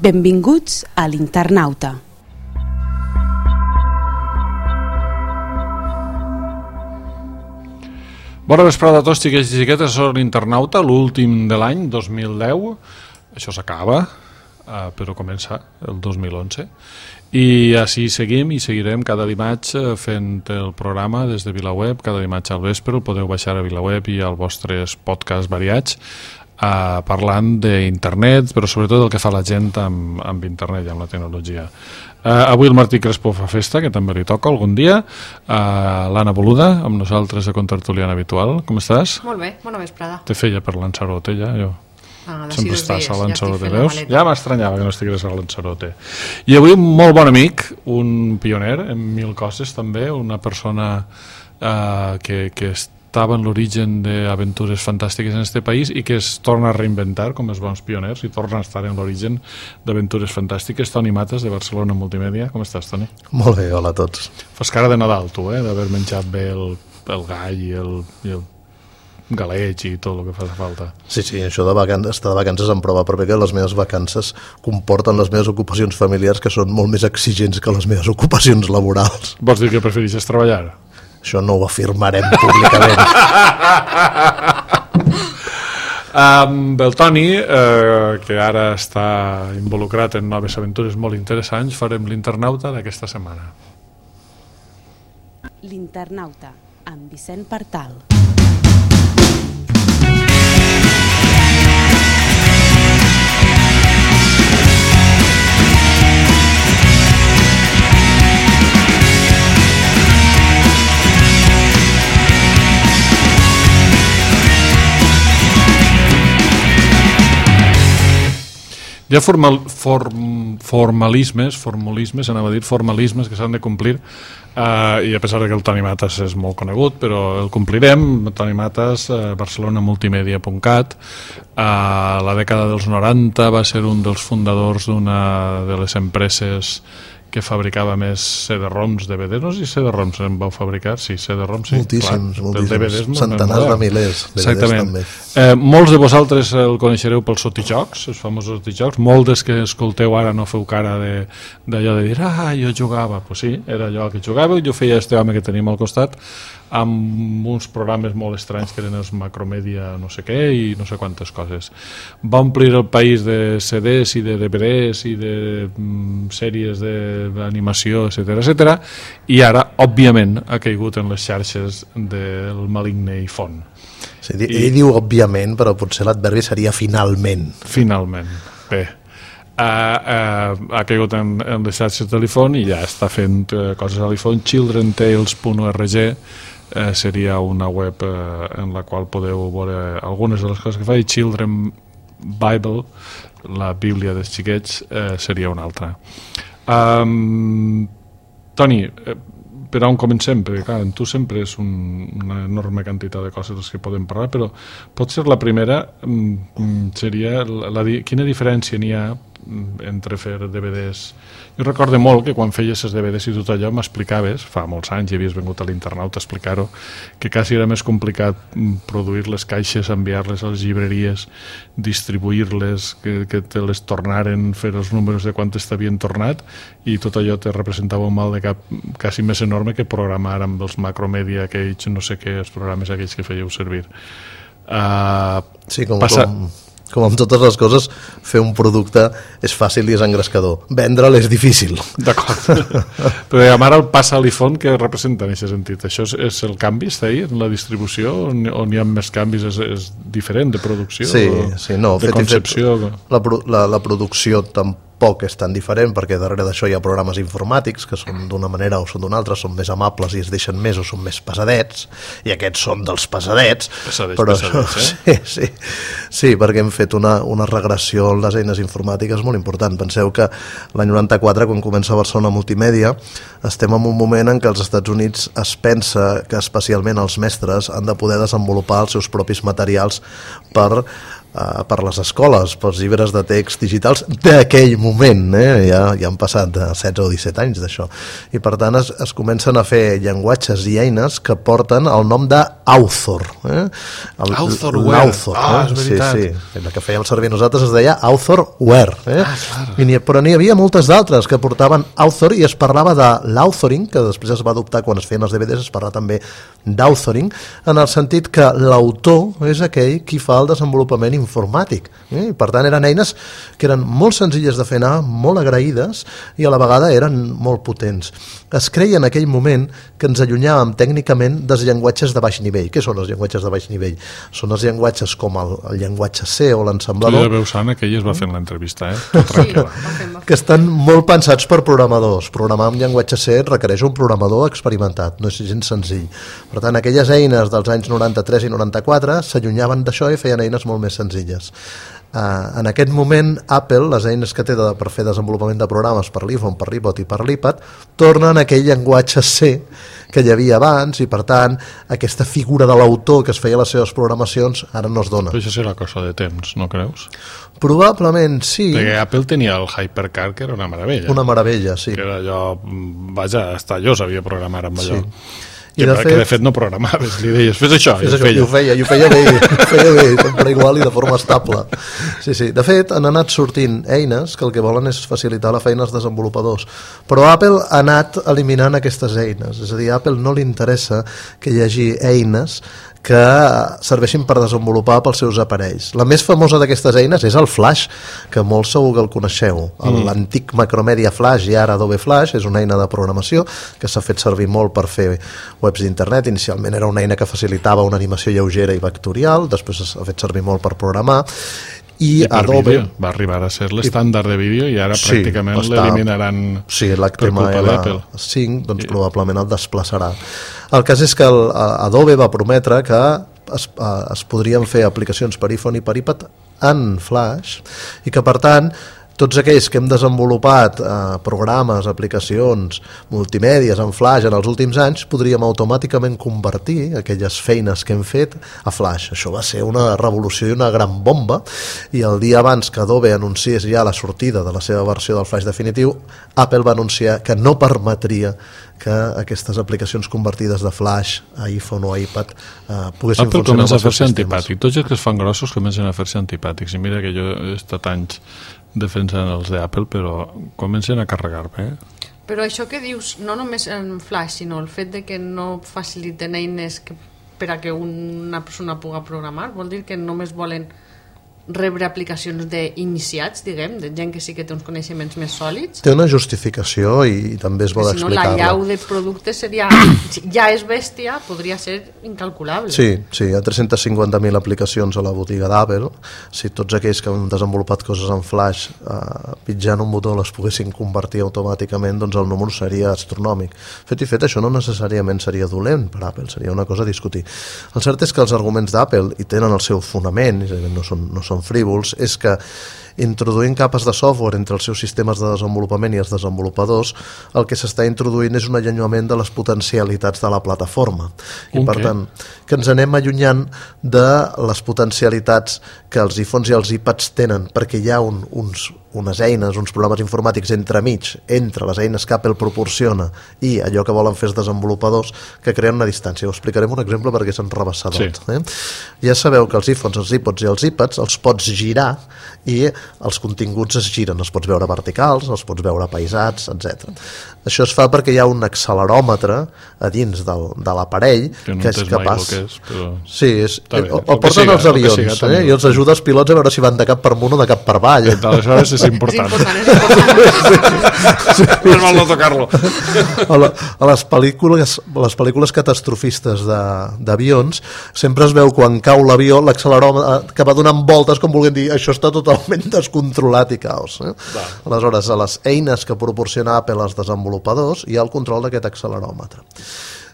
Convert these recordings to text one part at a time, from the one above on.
Benvinguts a l'Internauta. Bona vesprada a tots, xiquets i xiquetes, soc l'Internauta, l'últim de l'any 2010. Això s'acaba, però comença el 2011. I així seguim i seguirem cada dimarts fent el programa des de VilaWeb. Cada dimarts al vespre el podeu baixar a VilaWeb i als vostres podcasts variats, parlant d'internet, però sobretot del que fa la gent amb internet i amb la tecnologia. Avui el Martí Crespo fa festa, que també li toca algun dia. L'Anna Boluda, amb nosaltres de contertuliana habitual. Com estàs? Molt bé, bona vesprada. Te feia per Lanzarote ja, jo. Sempre estàs a Lanzarote, ja veus? Ja m'estranyava que no estigués a Lanzarote. I avui un molt bon amic, un pioner en mil coses també, una persona que estava en l'origen d'aventures fantàstiques en aquest país i que es torna a reinventar com els bons pioners i torna a estar en l'origen d'aventures fantàstiques. Toni Matas, de Barcelona Multimèdia. Com estàs, Toni? Molt bé, hola a tots. Fas cara de Nadal, tu, d'haver menjat bé el gall i el galeig i tot el que fa falta. Sí, això estar de vacances em prova, però que les meves vacances comporten les meves ocupacions familiars, que són molt més exigents que les meves ocupacions laborals. Vols dir que prefereixes treballar? Això no ho afirmarem públicament. Amb el Toni, que ara està involucrat en noves aventures molt interessants, farem l'Internauta d'aquesta setmana. L'Internauta, amb Vicent Partal. Hi ha formalismes, anava a dir, formalismes que s'han de complir, i a pesar que el Toni Matas és molt conegut, però el complirem. Toni Matas, barcelonaMultimedia.cat, a la dècada dels 90 va ser un dels fundadors d'una de les empreses que fabricava més CD-ROMs, DVDs. No sé si CD-ROMs en vau fabricar. Sí, CD-ROMs, sí. Moltíssims. DVDs, centenars de milers. Exactament. Molts de vosaltres el coneixereu pels sotijocs, els famosos sotijocs. Molts que escolteu ara no feu cara d'allò de dir, jo jugava. Pues sí, era allò que jugava i jo feia este home que tenim al costat amb uns programes molt estranys que eren els Macromedia no sé què i no sé quantes coses. Va omplir el país de CDs i de DVDs i de sèries d'animació, etcètera, i ara, òbviament, ha caigut en les xarxes del maligne i font. Sí, ell diu òbviament, però potser l'adverbi seria finalment. Finalment, bé. Ha caigut en les xarxes de l'iPhone i ja està fent coses a l'iPhone. childrentales.org seria una web en la qual podeu veure algunes de les coses que fa, i Children Bible, la Bíblia dels xiquets, seria una altra. Toni, per on comencem? Perquè clar, en tu sempre és una enorme quantitat de coses que podem parlar, però potser la primera seria quina diferència n'hi ha entre fer DVDs. Jo recordo molt que quan feies els DVDs i tot allò m'explicaves, fa molts anys i havies vengut a l'Internauta a explicar-ho, que quasi era més complicat produir les caixes, enviar-les a les llibreries, distribuir-les, que te les tornaren, fer els números de quantes t'havien tornat, i tot allò te representava un mal de cap quasi més enorme que programar amb els Macromedia aquells, no sé què, els programes aquells que fèieu servir. Sí, com amb totes les coses, fer un producte és fàcil i és engrescador. Vendre'l és difícil. D'acord. Però ara el passa a l'iPhone, què representa en aquest sentit? Això és el canvi, està ahí, en la distribució, on hi ha més canvis? És diferent de producció? Sí, no. De concepció? La producció tampoc és tan diferent, perquè darrere d'això hi ha programes informàtics que són d'una manera o són d'una altra, són més amables i es deixen més o són més pesadets, i aquests són dels pesadets. Sí, perquè hem fet una regressió en les eines informàtiques molt important. Penseu que l'any 94, quan comença Barcelona Multimèdia, estem en un moment en què als Estats Units es pensa que especialment els mestres han de poder desenvolupar els seus propis materials per les escoles, pels llibres de text digitals d'aquell moment, ja han passat 16 o 17 anys d'això, i per tant es comencen a fer llenguatges i eines que porten el nom de Author. Authorware. És veritat. Sí. La que fèiem servir nosaltres es deia Authorware. Clar. Però n'hi havia moltes d'altres que portaven Author i es parlava de l'authoring, que després es va adoptar quan es feien els DVDs, es parla també d'authoring, en el sentit que l'autor és aquell qui fa el desenvolupament informàtic. I per tant eren eines que eren molt senzilles de fer anar, molt agraïdes i a la vegada eren molt potents. Es creia en aquell moment que ens allunyàvem tècnicament dels llenguatges de baix nivell. Què són els llenguatges de baix nivell? Són els llenguatges com el llenguatge C o l'ensamblador. Tu ja veus, Anna, que ella es va fent l'entrevista, tranquil·la. Que estan molt pensats per programadors. Programar amb llenguatge C requereix un programador experimentat, no és gens senzill. Per tant, aquelles eines dels anys 93 i 94 s'allunyaven d'això i feien eines molt més senzilles. En aquest moment Apple, les eines que té per fer desenvolupament de programes per l'iPhone, per l'iPod i per l'iPad, tornen a aquell llenguatge C que hi havia abans i per tant aquesta figura de l'autor que es feia les seves programacions ara no es dona. Però això serà cosa de temps, no creus? Probablement sí. Perquè Apple tenia el Hypercar, que era una meravella. Una meravella, sí. Que era allò, vaja, hasta jo sabia programar amb allò. Sí. Que de fet no programaves, li deies, fes això, i ho feia bé, sempre igual i de forma estable. Sí. De fet, han anat sortint eines que el que volen és facilitar la feina als desenvolupadors, però Apple ha anat eliminant aquestes eines, és a dir, a Apple no li interessa que hi hagi eines que serveixin per desenvolupar pels seus aparells. La més famosa d'aquestes eines és el Flash, que molts segur que el coneixeu. L'antic Macromedia Flash i ara Adobe Flash és una eina de programació que s'ha fet servir molt per fer webs d'internet. Inicialment era una eina que facilitava una animació lleugera i vectorial, després s'ha fet servir molt per programar. I Adobe vídeo. Va arribar a ser l'estàndard de vídeo i ara pràcticament l'eliminaran per culpa d'Apple. 5 doncs probablement el desplaçarà. El cas és que Adobe va prometre que es podrien fer aplicacions per iPhone i per iPad en Flash i que per tant tots aquells que hem desenvolupat programes, aplicacions, multimèdies en Flash en els últims anys, podríem automàticament convertir aquelles feines que hem fet a Flash. Això va ser una revolució i una gran bomba, i el dia abans que Adobe anunciés ja la sortida de la seva versió del Flash definitiu, Apple va anunciar que no permetria que aquestes aplicacions convertides de Flash a iPhone o a iPad poguessin Apple funcionar. Apple comença a fer-se antipàtic. Tots els que es fan grossos comencen a fer-se antipàtics. I mira que jo he estat anys defensant els d'Apple, però comencen a carregar-me. Però això que dius, no només en Flash, sinó el fet de que no faciliten eines per a que una persona pugui programar, vol dir que només volen rebre aplicacions d'iniciats, diguem, de gent que sí que té uns coneixements més sòlids. Té una justificació i també és bo d'explicar-la. Si no, la llau de productes seria, ja és bèstia, podria ser incalculable. Sí, hi ha 350.000 aplicacions a la botiga d'Apple. Si tots aquells que han desenvolupat coses en Flash pitjant un botó les poguessin convertir automàticament, doncs el número seria astronòmic. Fet i fet, això no necessàriament seria dolent per Apple, seria una cosa a discutir. El cert és que els arguments d'Apple, i tenen el seu fonament, no són frívols, és que introduint capes de software entre els seus sistemes de desenvolupament i els desenvolupadors, el que s'està introduint és un allunyament de les potencialitats de la plataforma. I per tant, que ens anem allunyant de les potencialitats que els iPhones i els iPads tenen, perquè hi ha unes eines, uns programes informàtics entremig, entre les eines que Apple proporciona i allò que volen fer els desenvolupadors, que creen una distància. Ho explicarem un exemple perquè se'n rebassa tot. Ja sabeu que els iPhones, els iPods i els iPads els pots girar i els continguts es giren, els pots veure verticals, els pots veure paisats, etc. Això es fa perquè hi ha un acceleròmetre a dins de l'aparell que és capaç... Sí, el porten els avions i els ajuda els pilots a veure si van de cap per amunt o de cap per avall. Aleshores és important. És mal no tocar-lo. A les pel·lícules catastrofistes d'avions sempre es veu quan cau l'avió l'acceleròmetre que va donant voltes com volguem dir això està totalment descontrolat i caos. Aleshores, a les eines que proporciona Apple als desenvolupadors hi ha el control d'aquest acceleròmetre.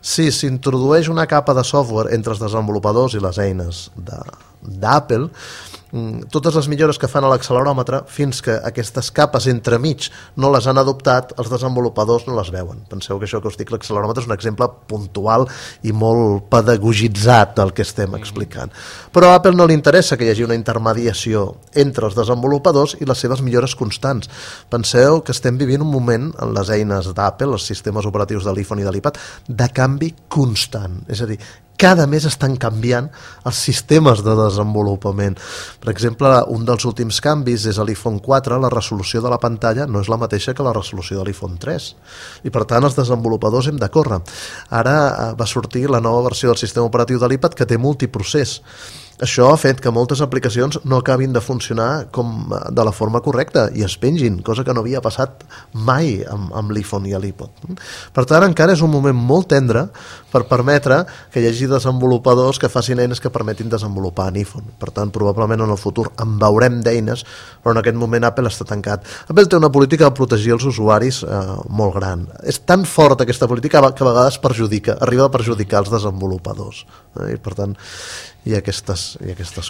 Si s'introdueix una capa de software entre els desenvolupadors i les eines d'Apple, totes les millores que fan a l'acceleròmetre, fins que aquestes capes entremig no les han adoptat, els desenvolupadors no les veuen. Penseu que això que us dic, l'acceleròmetre és un exemple puntual i molt pedagogitzat del que estem explicant. Però a Apple no li interessa que hi hagi una intermediació entre els desenvolupadors i les seves millores constants. Penseu que estem vivint un moment en les eines d'Apple, els sistemes operatius de l'iPhone i de l'iPad, de canvi constant. És a dir, cada mes estan canviant els sistemes de desenvolupament. Per exemple, un dels últims canvis és a l'iPhone 4, la resolució de la pantalla no és la mateixa que la resolució de l'iPhone 3. I per tant els desenvolupadors hem de córrer. Ara va sortir la nova versió del sistema operatiu de l'iPad que té multiprocés. Això ha fet que moltes aplicacions no acabin de funcionar de la forma correcta i es pengin, cosa que no havia passat mai amb l'iPhone i l'iPod. Per tant, encara és un moment molt tendre per permetre que hi hagi desenvolupadors que facin eines que permetin desenvolupar en iPhone. Per tant, probablement en el futur en veurem d'eines, però en aquest moment Apple està tancat. Apple té una política de protegir els usuaris molt gran. És tan forta aquesta política que a vegades arriba a perjudicar els desenvolupadors. I per tant, hi ha aquestes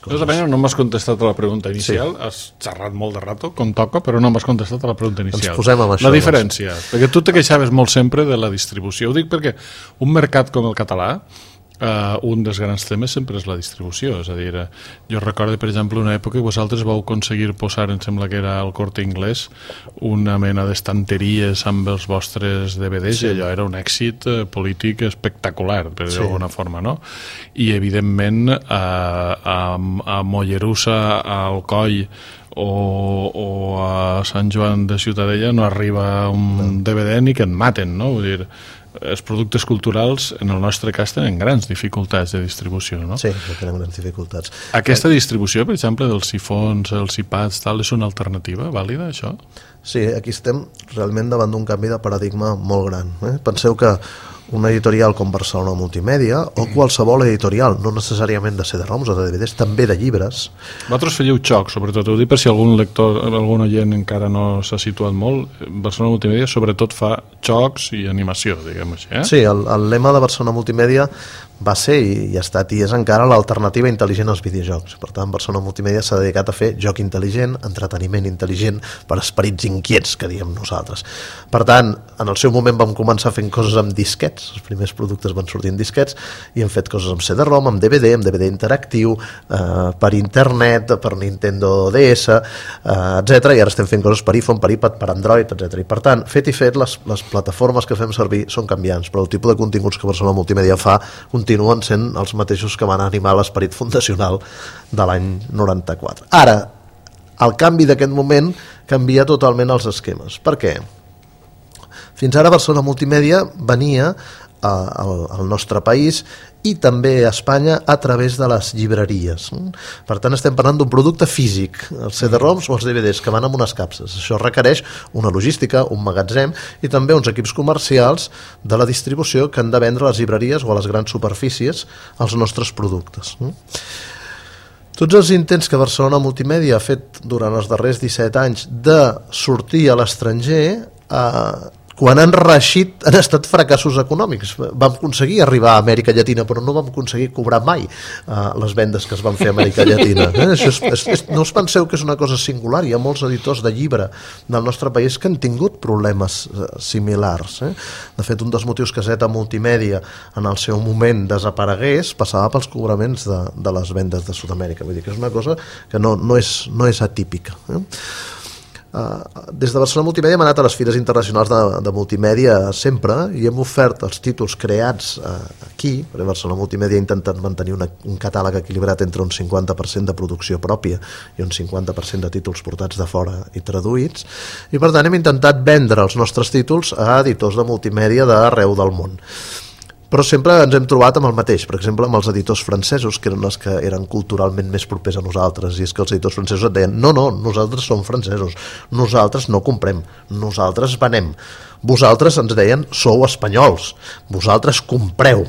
coses. No m'has contestat a la pregunta inicial. Sí. Has xerrat molt de rato, com toca, però no m'has contestat a la pregunta inicial. Ens posem amb això. La diferència, perquè tu te queixaves molt sempre de la distribució. Ho dic perquè un mercat com el català, un dels grans temes sempre és la distribució. És a dir, jo recordo, per exemple, una època que vosaltres vau aconseguir posar, em sembla que era al Corte Inglés, una mena d'estanteries amb els vostres DVDs, sí. I allò era un èxit polític espectacular, per dir d'alguna forma, no? I, evidentment, a Mollerussa, a Alcoi o a Sant Joan de Ciutadella no arriba un DVD ni que et maten, no? Vull dir, els productes culturals, en el nostre cas, tenen grans dificultats de distribució, no? Sí, tenen grans dificultats. Aquesta distribució, per exemple, dels iPhones, els iPads, tal, és una alternativa vàlida, això? Sí, aquí estem realment davant d'un canvi de paradigma molt gran. Penseu que una editorial com Barcelona Multimèdia o qualsevol editorial, no necessàriament de CD-ROMs o de DVDs, també de llibres. Vosaltres fèieu xoc, sobretot, ho dic per si algun lector, algun oient encara no s'ha situat molt. Barcelona Multimèdia sobretot fa xocs i animació, diguem així. Sí, el lema de Barcelona Multimèdia va ser i ha estat i és encara l'alternativa intel·ligent als videojocs. Per tant, Barcelona Multimèdia s'ha dedicat a fer joc intel·ligent, entreteniment intel·ligent per esperits inquiets, que diem nosaltres. Per tant, en el seu moment vam començar fent coses amb disquets, els primers productes van sortir en disquets, i hem fet coses amb CD-ROM, amb DVD interactiu, per internet, per Nintendo DS, etc. I ara estem fent coses per iPhone, per iPad, per Android, etc. I per tant, fet i fet, les plataformes que fem servir són canviants, però el tipus de continguts que Barcelona Multimèdia fa continuen sent els mateixos que van animar l'esperit fundacional de l'any 94. Ara, el canvi d'aquest moment canvia totalment els esquemes. Per què? Fins ara Barcelona Multimèdia venia al nostre país i també a Espanya a través de les llibreries. Per tant, estem parlant d'un producte físic, els CD-ROMs o els DVDs, que van amb unes capses. Això requereix una logística, un magatzem i també uns equips comercials de la distribució que han de vendre a les llibreries o a les grans superfícies els nostres productes. Tots els intents que Barcelona Multimèdia ha fet durant els darrers 17 anys de sortir a l'estranger, quan han reeixit han estat fracassos econòmics. Vam aconseguir arribar a Amèrica Llatina, però no vam aconseguir cobrar mai les vendes que es van fer a Amèrica Llatina. No us penseu que és una cosa singular. Hi ha molts editors de llibre del nostre país que han tingut problemes similars. De fet, un dels motius que Zeta Multimèdia en el seu moment desaparegués passava pels cobraments de les vendes de Sud-amèrica. Vull dir que és una cosa que no és atípica. Des de Barcelona Multimèdia hem anat a les fires internacionals de multimèdia sempre i hem ofert els títols creats aquí, perquè Barcelona Multimèdia ha intentat mantenir un catàleg equilibrat entre un 50% de producció pròpia i un 50% de títols portats de fora i traduïts, i per tant hem intentat vendre els nostres títols a editors de multimèdia d'arreu del món. Però sempre ens hem trobat amb el mateix, per exemple amb els editors francesos, que eren els que eren culturalment més propers a nosaltres, i és que els editors francesos et deien no, nosaltres som francesos, nosaltres no comprem, nosaltres venem, vosaltres, ens deien, sou espanyols, vosaltres compreu,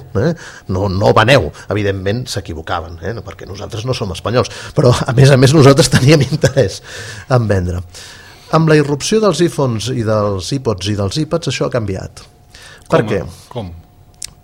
no veneu. Evidentment s'equivocaven, perquè nosaltres no som espanyols, però a més nosaltres teníem interès en vendre. Amb la irrupció dels iPhones i dels iPods i dels iPads això ha canviat. Per què? Com?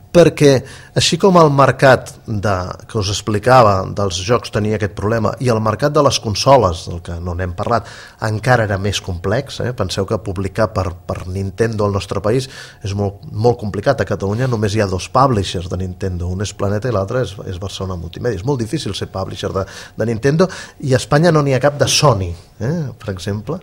Perquè així com el mercat que us explicava dels jocs tenia aquest problema i el mercat de les consoles, del que no n'hem parlat, encara era més complex. Penseu que publicar per Nintendo al nostre país és molt complicat. A Catalunya només hi ha 2 publishers de Nintendo, un és Planeta i l'altre és Barcelona Multimèdia. És molt difícil ser publisher de Nintendo, i a Espanya no n'hi ha cap de Sony, per exemple.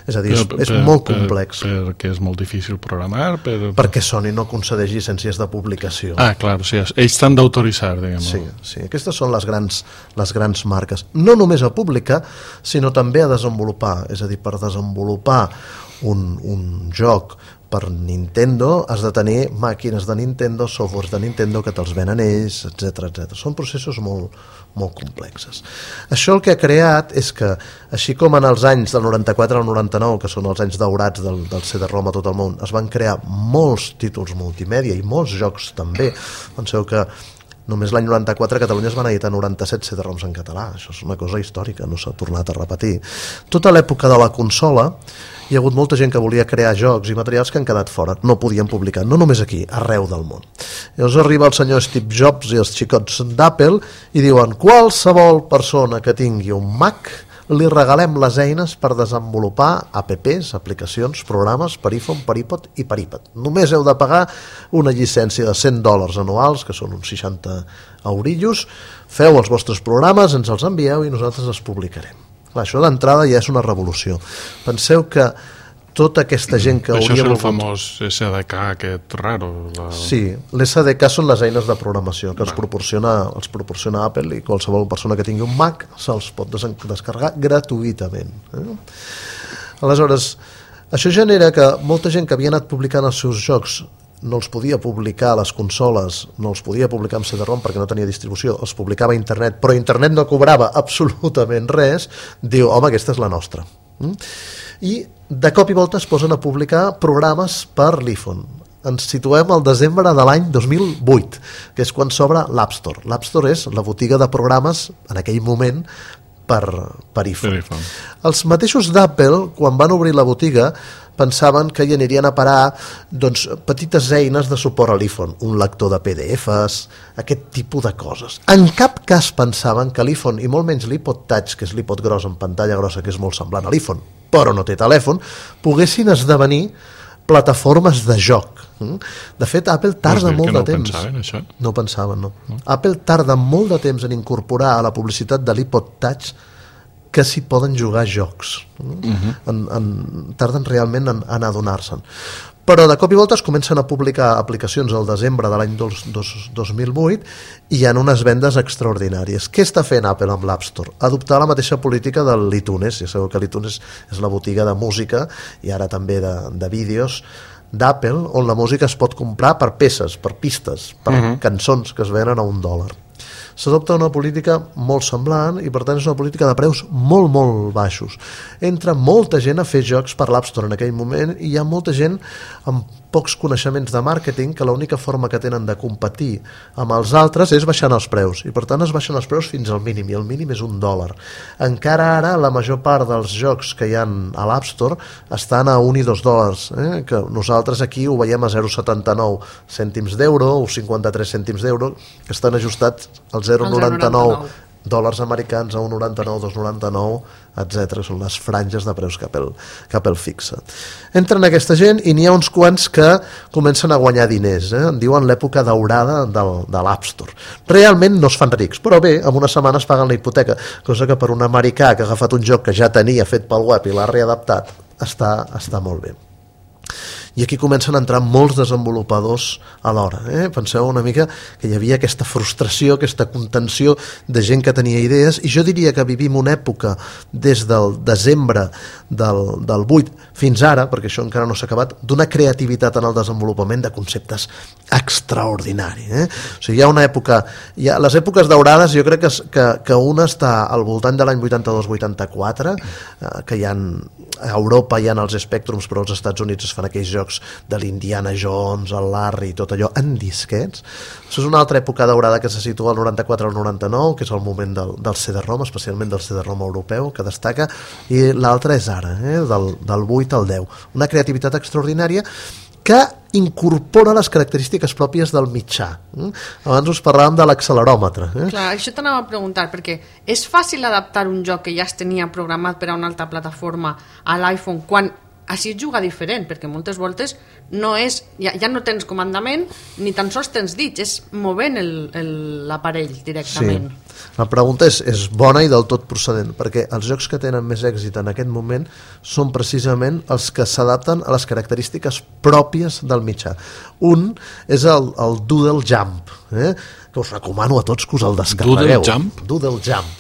És a dir, és molt complex. Perquè és molt difícil programar? Perquè Sony no concedeix llicències de publicació l'aplicació. Clar, o sigui, ells t'han d'autoritzar, diguem. Sí, aquestes són les grans marques. No només a publicar, sinó també a desenvolupar. És a dir, per desenvolupar un joc per Nintendo has de tenir màquines de Nintendo, softwares de Nintendo que te'ls venen ells, etc. Són processos molt complexes. Això el que ha creat és que, així com en els anys del 94 al 99, que són els anys daurats del CD-ROM a tot el món, es van crear molts títols multimèdia i molts jocs també. Penseu que només l'any 94 a Catalunya es van editar 97 CD-ROMs en català. Això és una cosa històrica, no s'ha tornat a repetir. Tota l'època de la consola hi ha hagut molta gent que volia crear jocs i materials que han quedat fora, no podien publicar, no només aquí, arreu del món. Llavors arriba el senyor Steve Jobs i els xicots d'Apple i diuen: qualsevol persona que tingui un Mac li regalem les eines per desenvolupar apps, aplicacions, programes per iPhone, per iPod i per iPad. Només heu de pagar una llicència de $100 anuals, que són uns 60 eurillos, feu els vostres programes, ens els envieu i nosaltres els publicarem. Clar, això d'entrada ja és una revolució. Penseu que tota aquesta gent que això hauria és el volgut... famós SDK aquest raro. Sí, l'SDK són les eines de programació que els proporciona Apple, i qualsevol persona que tingui un Mac se'ls pot descarregar gratuïtament. Aleshores, això genera que molta gent que havia anat publicant els seus jocs no els podia publicar a les consoles, no els podia publicar amb CD-ROM perquè no tenia distribució, els publicava a internet, però internet no cobrava absolutament res, diu, home, aquesta és la nostra. I de cop i volta es posen a publicar programes per l'iPhone. Ens situem al desembre de l'any 2008, que és quan s'obre l'App Store. L'App Store és la botiga de programes, en aquell moment, per iPhone. Els mateixos d'Apple, quan van obrir la botiga, pensaven que hi anirien a parar petites eines de suport a l'iPhone, un lector de PDFs, aquest tipus de coses. En cap cas pensaven que l'iPhone, i molt menys l'iPod Touch, que és l'iPod gros en pantalla grossa, que és molt semblant a l'iPhone, però no té telèfon, poguessin esdevenir plataformes de joc. De fet, Apple tarda molt de temps. No ho pensaven, no. Apple tarda molt de temps en incorporar a la publicitat de l'iPod Touch que s'hi poden jugar jocs. Tarden realment en adonar-se'n. Però de cop i volta es comencen a publicar aplicacions al desembre de l'any 2008 i hi ha unes vendes extraordinàries. Què està fent Apple amb l'App Store? Adoptar la mateixa política de l'iTunes. Ja sabeu que l'iTunes és la botiga de música i ara també de vídeos d'Apple, on la música es pot comprar per peces, per pistes, per cançons que es venen a $1. S'adopta una política molt semblant i per tant és una política de preus molt baixos. Entra molta gent a fer jocs per l'App Store en aquell moment i hi ha molta gent amb pocs coneixements de màrqueting que l'única forma que tenen de competir amb els altres és baixant els preus i per tant es baixen els preus fins al mínim i el mínim és $1. Encara ara la major part dels jocs que hi ha a l'App Store estan a $1 i $2, que nosaltres aquí ho veiem a 0,79 cèntims d'euro o 53 cèntims d'euro, que estan ajustats als $0,99 americans a $1,99, $2,99, etc. Són les franges de preus que Apple fixa. Entren aquesta gent i n'hi ha uns quants que comencen a guanyar diners. En diuen l'època daurada de l'App Store. Realment no es fan rics, però bé, en una setmana es paguen la hipoteca, cosa que per un americà que ha agafat un joc que ja tenia fet pel web i l'ha readaptat està molt bé. I aquí comencen a entrar molts desenvolupadors alhora. Penseu una mica que hi havia aquesta frustració, aquesta contenció de gent que tenia idees, i jo diria que vivim una època des del desembre del 8 fins ara, perquè això encara no s'ha acabat, d'una creativitat en el desenvolupament de conceptes extraordinari. O sigui, hi ha una època, les èpoques daurades jo crec que una està al voltant de l'any 82-84, que hi ha a Europa hi ha els Spectrums, però als Estats Units es fan aquells jocs de l'Indiana Jones, el Larry, tot allò en disquets. Això és una altra època daurada que se situa al 94 al 99, que és el moment del CD-ROM, especialment del CD-ROM europeu, que destaca, i l'altra és ara, del 8 al 10. Una creativitat extraordinària que incorpora les característiques pròpies del mitjà. Abans us parlàvem de l'acceleròmetre. Clar, això t'anava a preguntar, perquè és fàcil adaptar un joc que ja es tenia programat per a una altra plataforma a l'iPhone quan així es juga diferent, perquè moltes voltes no és, ja no tens comandament ni tan sols tens dits, és movent l'aparell directament. Sí. La pregunta és bona i del tot procedent, perquè els jocs que tenen més èxit en aquest moment són precisament els que s'adapten a les característiques pròpies del mitjà. Un és el Doodle Jump, que us recomano a tots que us el descarregueu. Doodle Jump? Doodle Jump.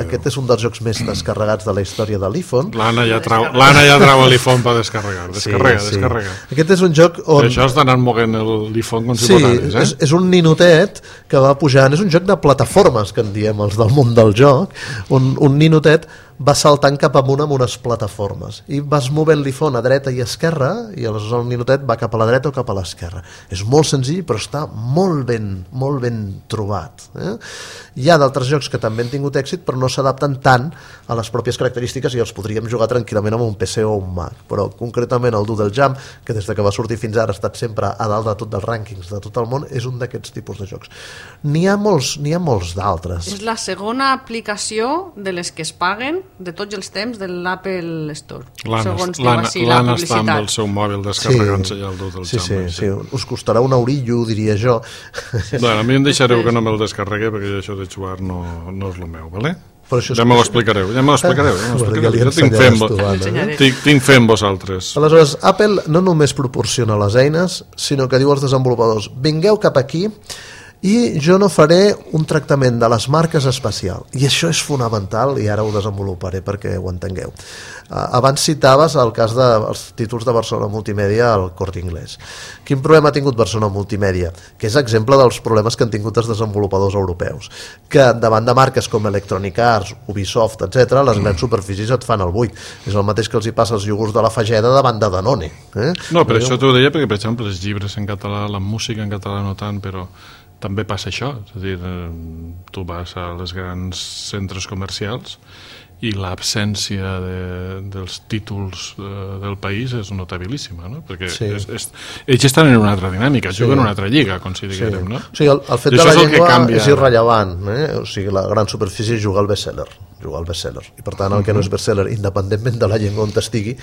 Aquest és un dels jocs més descarregats de la història de l'iPhone. L'Anna ja trau l'iPhone per descarregar. Descarrega. Aquest és un joc on... Per això has d'anar moguent l'iPhone com si posaves, és un ninotet que va pujant, és un joc de plataformes, que en diem els del món del joc, on un ninotet va saltant cap amunt amb unes plataformes i vas movent l'iPhone a dreta i esquerra i aleshores el ninotet va cap a la dreta o cap a l'esquerra. És molt senzill però està molt ben trobat. Hi ha d'altres jocs que també han tingut èxit però no s'adapten tant a les pròpies característiques i els podríem jugar tranquil·lament amb un PC o un Mac, però concretament el Doodle Jump, que des que va sortir fins ara ha estat sempre a dalt de tot dels rànquings de tot el món, és un d'aquests tipus de jocs. N'hi ha molts d'altres. És la segona aplicació de les que es paguen de tots els temps de l'Apple Store. L'Anna està amb el seu mòbil descarregant-se ja el Doodle Jump. Sí. Us costarà un eurillo, diria jo. Bueno, a mi em deixareu que no me'l descarregué perquè això de jugar no és el meu, vale? Ja me l'explicareu. Tinc fe en vosaltres. Aleshores, Apple no només proporciona les eines, sinó que diu als desenvolupadors: vingueu cap aquí i jo no faré un tractament de les marques especial. I això és fonamental i ara ho desenvoluparé perquè ho entengueu. Abans citaves el cas dels títols de Barcelona Multimèdia al Corte Inglés. Quin problema ha tingut Barcelona Multimèdia? Que és exemple dels problemes que han tingut els desenvolupadors europeus, que davant de marques com Electronic Arts, Ubisoft, etc., les grans superfícies et fan el buit. És el mateix que els hi passa als iogurts de la Fageda davant de Danone. No, però això t'ho deia perquè, per exemple, els llibres en català, la música en català no tant, però també passa això, és a dir, tu vas a les grans centres comercials i l'absència dels títols del país és notabilíssima, no? Perquè ells estan en una altra dinàmica, juguen en una altra lliga, com si diguem, no? O sigui, el fet de la llengua és irrellevant, o sigui, la gran superfície juga al best-seller, i per tant el que no és best-seller, independentment de la llengua on estigui,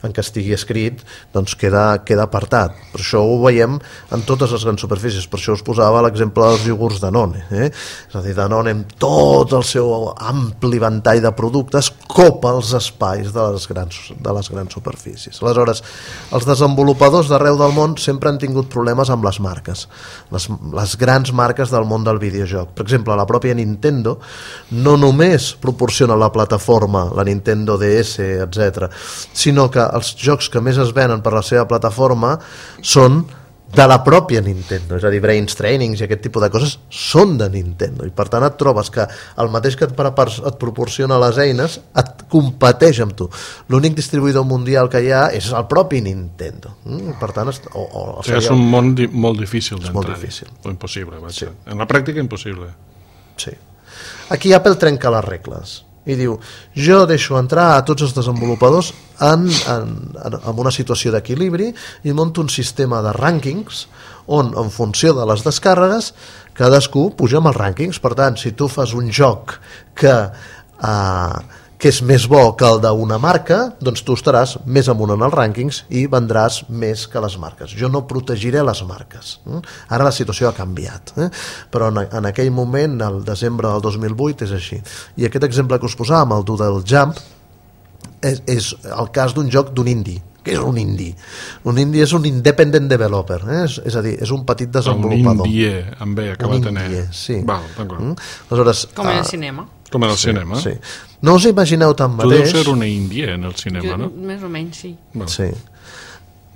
en què estigui escrit, doncs queda apartat. Per això ho veiem en totes les grans superfícies, per això us posava l'exemple dels iogurts Danone, és a dir, Danone amb tot el seu ampli ventall de productes copa els espais de les grans superfícies. Aleshores, els desenvolupadors d'arreu del món sempre han tingut problemes amb les marques, les grans marques del món del videojoc. Per exemple, la pròpia Nintendo no només proporciona la plataforma, la Nintendo DS, etc., sinó que els jocs que més es venen per la seva plataforma són de la pròpia Nintendo, és a dir, Brains Trainings i aquest tipus de coses són de Nintendo, i per tant et trobes que el mateix que et proporciona les eines et competeix amb tu. L'únic distribuïdor mundial que hi ha és el propi Nintendo. Per tant, és un món molt difícil d'entrar. Molt difícil. O impossible, vaja. En la pràctica impossible. Sí. Aquí Apple trenca les regles i diu, jo deixo entrar a tots els desenvolupadors en una situació d'equilibri i monto un sistema de rànquings on, en funció de les descàrregues, cadascú puja amb els rànquings. Per tant, si tu fas un joc que és més bo que el d'una marca, doncs tu estaràs més amunt en els rànquings i vendràs més que les marques. Jo no protegiré les marques. Ara la situació ha canviat, però en aquell moment, el desembre del 2008, és així. I aquest exemple que us posàvem, el Doodle Jump, és el cas d'un joc d'un indie. Què és un indie? Un indie és un independent developer, és a dir, és un petit desenvolupador. Un indie, amb B, acaba de tenir. Sí. Val, d'acord. Aleshores, com en el cinema. Com en el cinema. Sí. No us imagineu tan mateix... Tu deus ser una índia en el cinema, no? Més o menys, sí. Sí.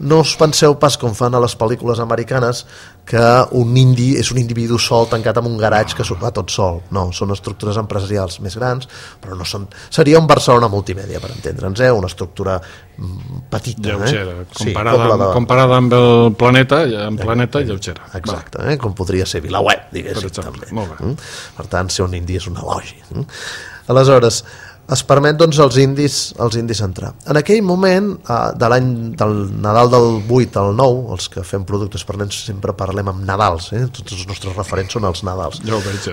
No us penseu pas, com fan a les pel·lícules americanes, que un indi és un individu sol tancat en un garatge que va tot sol. No, són estructures empresarials més grans, però no són... Seria un Barcelona Multimèdia, per entendre'ns, una estructura petita. Lleugera, comparada amb el planeta lleugera. Exacte, com podria ser VilaWeb, diguéssim. Per exemple, també. molt bé. Per tant, ser un indi és un elogi. Aleshores, es permet doncs als indis entrar. En aquell moment, del Nadal del 8 al 9, els que fem productes per nens sempre parlem amb Nadals, tots els nostres referents són els Nadals. Ja ho veig,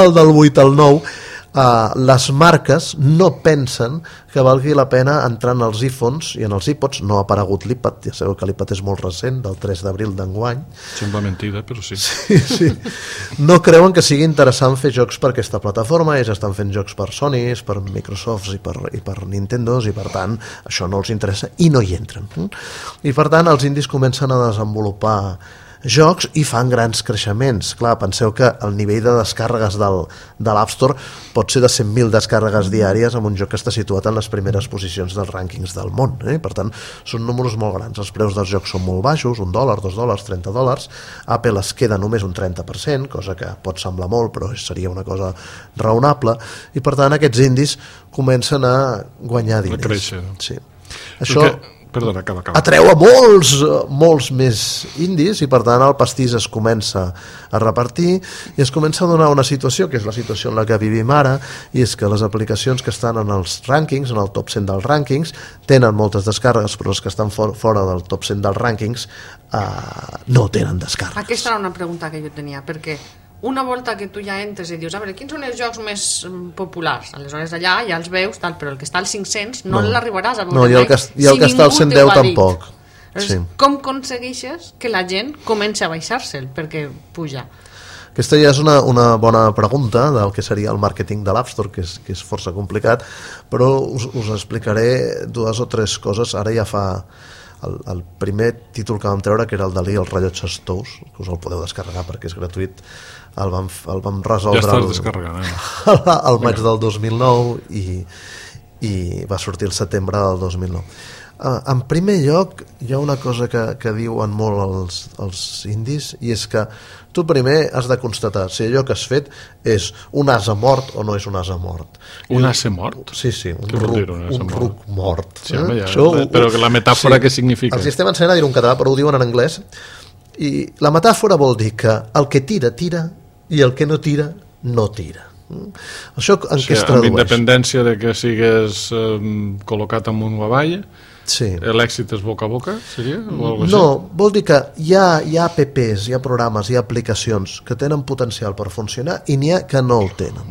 El del 8 al 9, les marques no pensen que valgui la pena entrar en els iPhones i en els iPods. No ha aparegut l'iPad, ja sabeu que l'iPad és molt recent, del 3 d'abril d'enguany. Sembla mentida, però sí. Sí. No creuen que sigui interessant fer jocs per aquesta plataforma, ells estan fent jocs per Sony, per Microsoft i per Nintendo, i per tant això no els interessa i no hi entren. I per tant els indis comencen a desenvolupar jocs i fan grans creixements. Clar, penseu que el nivell de descàrregues de l'App Store pot ser de 100.000 descàrregues diàries amb un joc que està situat en les primeres posicions dels rànquings del món. Per tant, són números molt grans. Els preus dels jocs són molt baixos, $1, $2, $30. Apple es queda només un 30%, cosa que pot semblar molt, però seria una cosa raonable, i per tant aquests indis comencen a guanyar diners. A créixer. Sí. Això... Perdona, acaba. Atreu a molts més indis i per tant el pastís es comença a repartir i es comença a donar una situació que és la situació en la que vivim ara, i és que les aplicacions que estan en els rànquings, en el top 100 dels rànquings, tenen moltes descàrregues, però les que estan fora del top 100 dels rànquings no tenen descàrregues. Aquesta era una pregunta que jo tenia, perquè una volta que tu ja entres i dius, a veure, quins són els jocs més populars? Aleshores allà ja els veus, però el que està als 500 no l'arribaràs a veure. No, i el que està als 110 tampoc. Sí. Com aconsegueixes que la gent comenci a baixar-se'l perquè puja? Aquesta ja és una bona pregunta del que seria el màrqueting de l'App Store, que és força complicat, però us explicaré 2 o 3 coses. Ara ja fa... El primer títol que vam treure, que era el Dalí, els rellotges tous, que us el podeu descarregar perquè és gratuït, el vam resoldre ja estàs descarregant, al maig del 2009 i va sortir el setembre del 2009. En primer lloc hi ha una cosa que diuen molt els indis, i és que tu primer has de constatar si allò que has fet és un ase mort o no és un ase mort. Un ase mort? Sí, un ruc mort. Sí, però la metàfora què significa? Els estem ensenyant a dir-ho en català, però ho diuen en anglès, i la metàfora vol dir que el que tira, tira, i el que no tira, no tira. Això en què es tradueix? Amb independència de que sigues col·locat amunt o avall, sí. L'èxit és boca a boca, seria? No, vol dir que hi ha apps, hi ha programes, hi ha aplicacions que tenen potencial per funcionar i n'hi ha que no el tenen.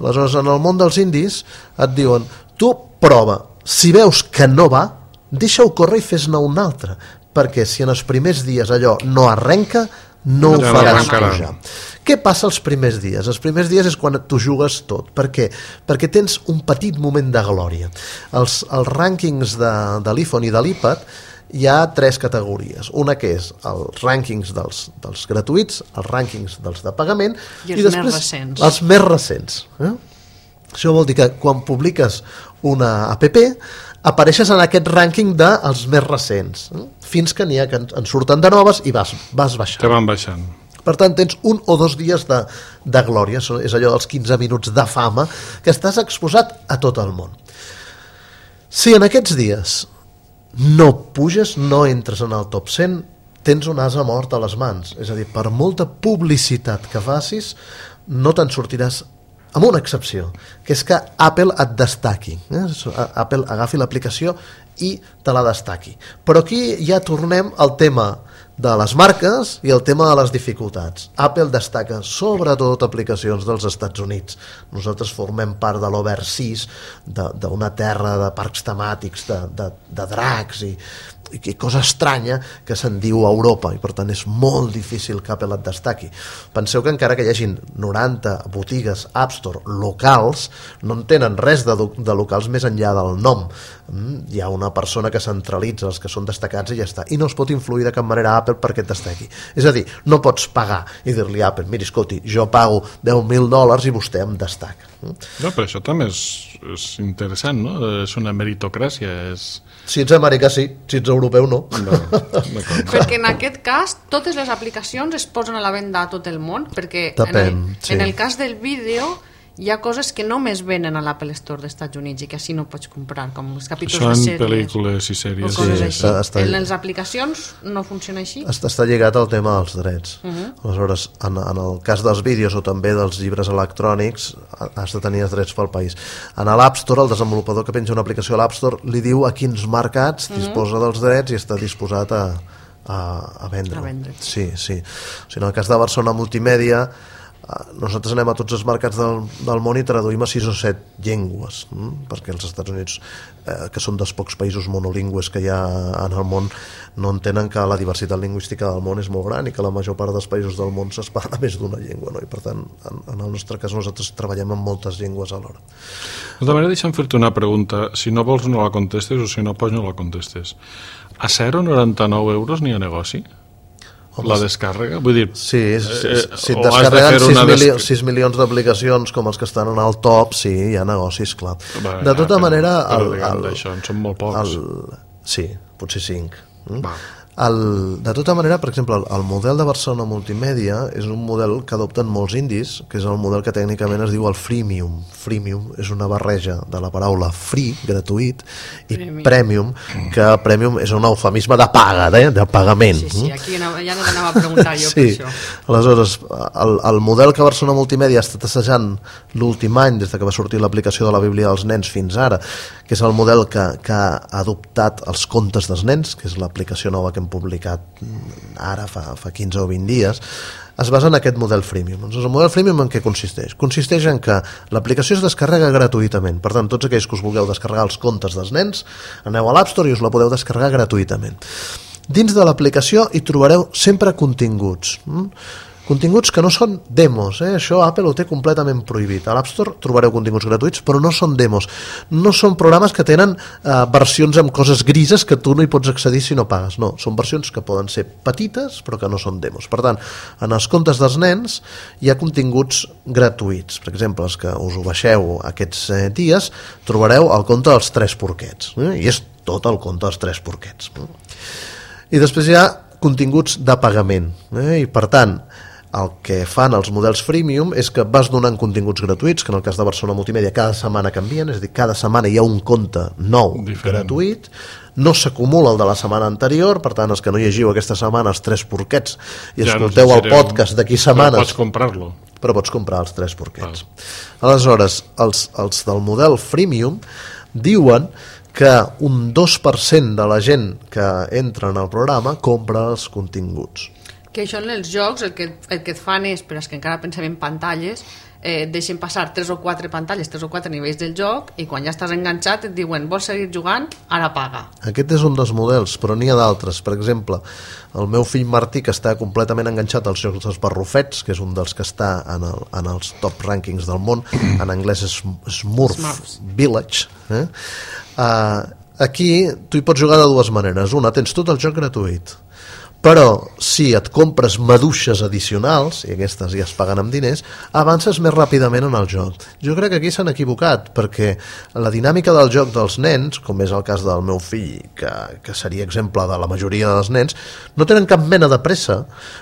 Aleshores, en el món dels indis et diuen, tu prova, si veus que no va, deixa-ho córrer i fes-ne un altre, perquè si en els primers dies allò no arrenca, no ho faràs pujar. Què passa els primers dies? Els primers dies és quan tu jugues tot. Per què? Perquè tens un petit moment de glòria. Els rànquings de l'iPhone i de l'iPad hi ha 3 categories. Una que és els rànquings dels gratuïts, els rànquings dels de pagament i després més recents. Els més recents. Això vol dir que quan publiques una app apareixes en aquest rànquing dels més recents, fins que n'hi ha que en surten de noves i vas baixant. Que van baixant. Per tant, tens 1 o 2 dies de glòria, és allò dels 15 minuts de fama, que estàs exposat a tot el món. Si en aquests dies no puges, no entres en el top 100, tens un ase mort a les mans. És a dir, per molta publicitat que facis, no te'n sortiràs, amb una excepció, que és que Apple et destaqui. Apple agafi l'aplicació i te la destaqui. Però aquí ja tornem al tema de les marques i el tema de les dificultats. Apple destaca sobretot aplicacions dels Estats Units. Nosaltres formem part de l'Overseas, d'una terra de parcs temàtics, de dracs i cosa estranya que se'n diu a Europa, i per tant és molt difícil que Apple et destaqui. Penseu que encara que hi hagin 90 botigues App Store locals, no en tenen res de locals més enllà del nom. Hi ha una persona que centralitza els que són destacats i ja està, i no es pot influir de cap manera a Apple perquè et destaqui. És a dir, no pots pagar i dir-li a Apple, miri, escolti, jo pago $10.000 i vostè em destaca. No, però això també és interessant, no? És una meritocràcia. Si ets americà sí, si ets europeu no. Perquè en aquest cas totes les aplicacions es posen a la venda a tot el món, perquè en el cas del vídeo hi ha coses que només venen a l'Apple Store dels Estats Units i que així no pots comprar, com els capítols de sèries. Són pel·lícules i sèries. En les aplicacions no funciona així? Està lligat al tema dels drets. Aleshores, en el cas dels vídeos o també dels llibres electrònics, has de tenir els drets pel país. En l'App Store, el desenvolupador que penja una aplicació a l'App Store li diu a quins mercats disposa dels drets i està disposat a vendre. A vendre. Sí. O sigui, en el cas de Barcelona Multimèdia, nosaltres anem a tots els mercats del món i traduïm a 6 o 7 llengües, perquè els Estats Units, que són dels pocs països monolingües que hi ha en el món, no entenen que la diversitat lingüística del món és molt gran i que la major part dels països del món es parla més d'una llengua, no? I per tant, en el nostre cas nosaltres treballem amb moltes llengües alhora. De manera, deixa'm fer-te una pregunta. Si no vols no la contestes, o si no pots no la contestes. A 0,99 euros n'hi ha negoci? Home, la descàrrega? Vull dir... Sí, si et descarreguen 6 milions d'aplicacions com els que estan en el top, sí, hi ha negocis, clar. De tota manera... D'això, en són molt pocs. Sí, potser 5. De tota manera, per exemple, el model de Barcelona Multimèdia és un model que adopten molts indis, que és el model que tècnicament es diu el freemium. Freemium és una barreja de la paraula free, gratuït, i premium, que premium és un eufemisme de paga, de pagament. Sí, aquí ja no t'anava a preguntar jo per això. Aleshores, el model que Barcelona Multimèdia ha estat assajant l'últim any, des que va sortir l'aplicació de la Bíblia dels nens fins ara, que és el model que ha adoptat els contes dels nens, que és l'aplicació nova que hem publicat ara fa 15 o 20 dies, es basa en aquest model freemium. Doncs el model freemium en què consisteix? Consisteix en que l'aplicació es descarrega gratuïtament. Per tant, tots aquells que us vulgueu descarregar els contes dels nens, aneu a l'App Store i us la podeu descarregar gratuïtament. Dins de l'aplicació hi trobareu sempre continguts. Continguts que no són demos, això Apple ho té completament prohibit. A l'App Store trobareu continguts gratuïts, però no són demos. No són programes que tenen versions amb coses grises que tu no hi pots accedir si no pagues. No, són versions que poden ser petites, però que no són demos. Per tant, en els comptes dels nens hi ha continguts gratuïts. Per exemple, els que us ho baixeu aquests dies, trobareu el conte dels 3 porquets. I és tot el conte dels 3 porquets. I després hi ha continguts de pagament. I per tant, el que fan els models freemium és que vas donant continguts gratuïts, que en el cas de Barcelona Multimèdia cada setmana canvien, és a dir, cada setmana hi ha un compte nou gratuït, no s'acumula el de la setmana anterior, per tant, els que no llegiu aquesta setmana els 3 porquets i escolteu el podcast d'aquí setmanes... Però pots comprar-lo. Però pots comprar els 3 porquets. Aleshores, els del model freemium diuen que un 2% de la gent que entra en el programa compra els continguts. Que això en els jocs el que et fan és, per als que encara pensem en pantalles, deixen passar 3 o 4 pantalles, 3 o 4 nivells del joc, i quan ja estàs enganxat et diuen vols seguir jugant, ara paga. Aquest és un dels models, però n'hi ha d'altres. Per exemple, el meu fill Martí, que està completament enganxat als jocs dels barrufets, que és un dels que està en els top rànquings del món, en anglès és Smurf Village, aquí tu hi pots jugar de dues maneres. Una, tens tot el joc gratuït, però si et compres maduixes addicionals, i aquestes ja es paguen amb diners, avances més ràpidament en el joc. Jo crec que aquí s'han equivocat, perquè la dinàmica del joc dels nens, com és el cas del meu fill, que seria exemple de la majoria dels nens, no tenen cap mena de pressa.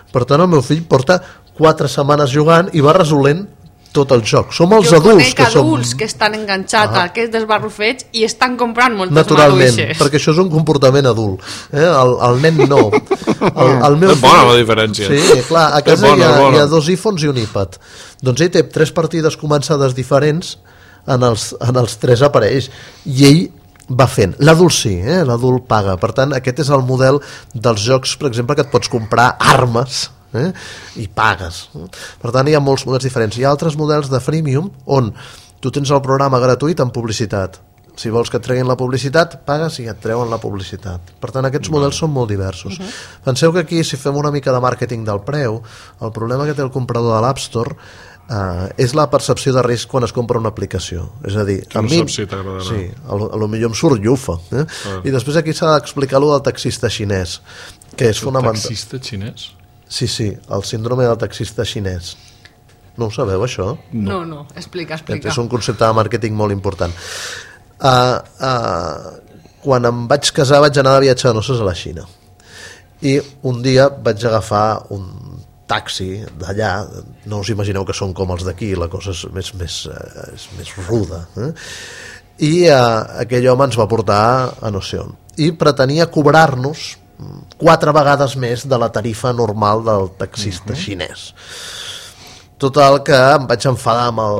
Per tant, el meu fill porta 4 setmanes jugant i va resolent tot el joc. Som els adults que som... Jo conec adults que estan enganxats a aquests dels barrufets i estan comprant moltes naturalment, maduixes. Perquè això és un comportament adult. El nen no. El meu és bona la diferència. Sí, clar, a casa hi ha 2 iPhones i un iPad. Doncs ell té 3 partides començades diferents en els 3 aparells i ell va fent. L'adult sí, l'adult paga. Per tant, aquest és el model dels jocs, per exemple, que et pots comprar armes i pagues. Per tant, hi ha molts models diferents. Hi ha altres models de freemium on tu tens el programa gratuït amb publicitat. Si vols que et treguin la publicitat, pagues i et treuen la publicitat. Per tant, aquests models són molt diversos. Penseu que aquí, si fem una mica de màrqueting del preu, el problema que té el comprador de l'App Store és la percepció de risc quan es compra una aplicació. És a dir, a mi... Sí, potser em surt llufa. I després aquí s'ha d'explicar allò del taxista xinès, que és fonamental. Taxista xinès? Sí, el síndrome del taxista xinès. No ho sabeu, això? No, explica. És un concepte de màrqueting molt important. Quan em vaig casar vaig anar de viatge de noces a la Xina. I un dia vaig agafar un taxi d'allà, no us imagineu que són com els d'aquí, la cosa és més ruda. I aquell home ens va portar a no sé on. I pretenia cobrar-nos 4 vegades més de la tarifa normal del taxista xinès. Total, que em vaig enfadar amb el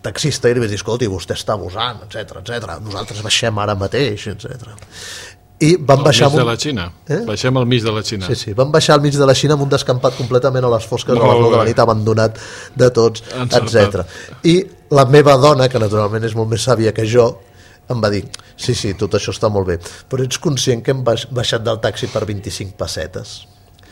taxista i li vaig dir, escolti, vostè està abusant, etc. Nosaltres baixem ara mateix, etc. i van baixar... Al mig de la Xina. Baixem al mig de la Xina. Sí, van baixar al mig de la Xina amb un descampat completament a les fosques de les 9 de la nit, abandonat de tots, etc. I la meva dona, que naturalment és molt més sàvia que jo, em va dir, sí, tot això està molt bé, però ets conscient que hem baixat del taxi per 25 pessetes?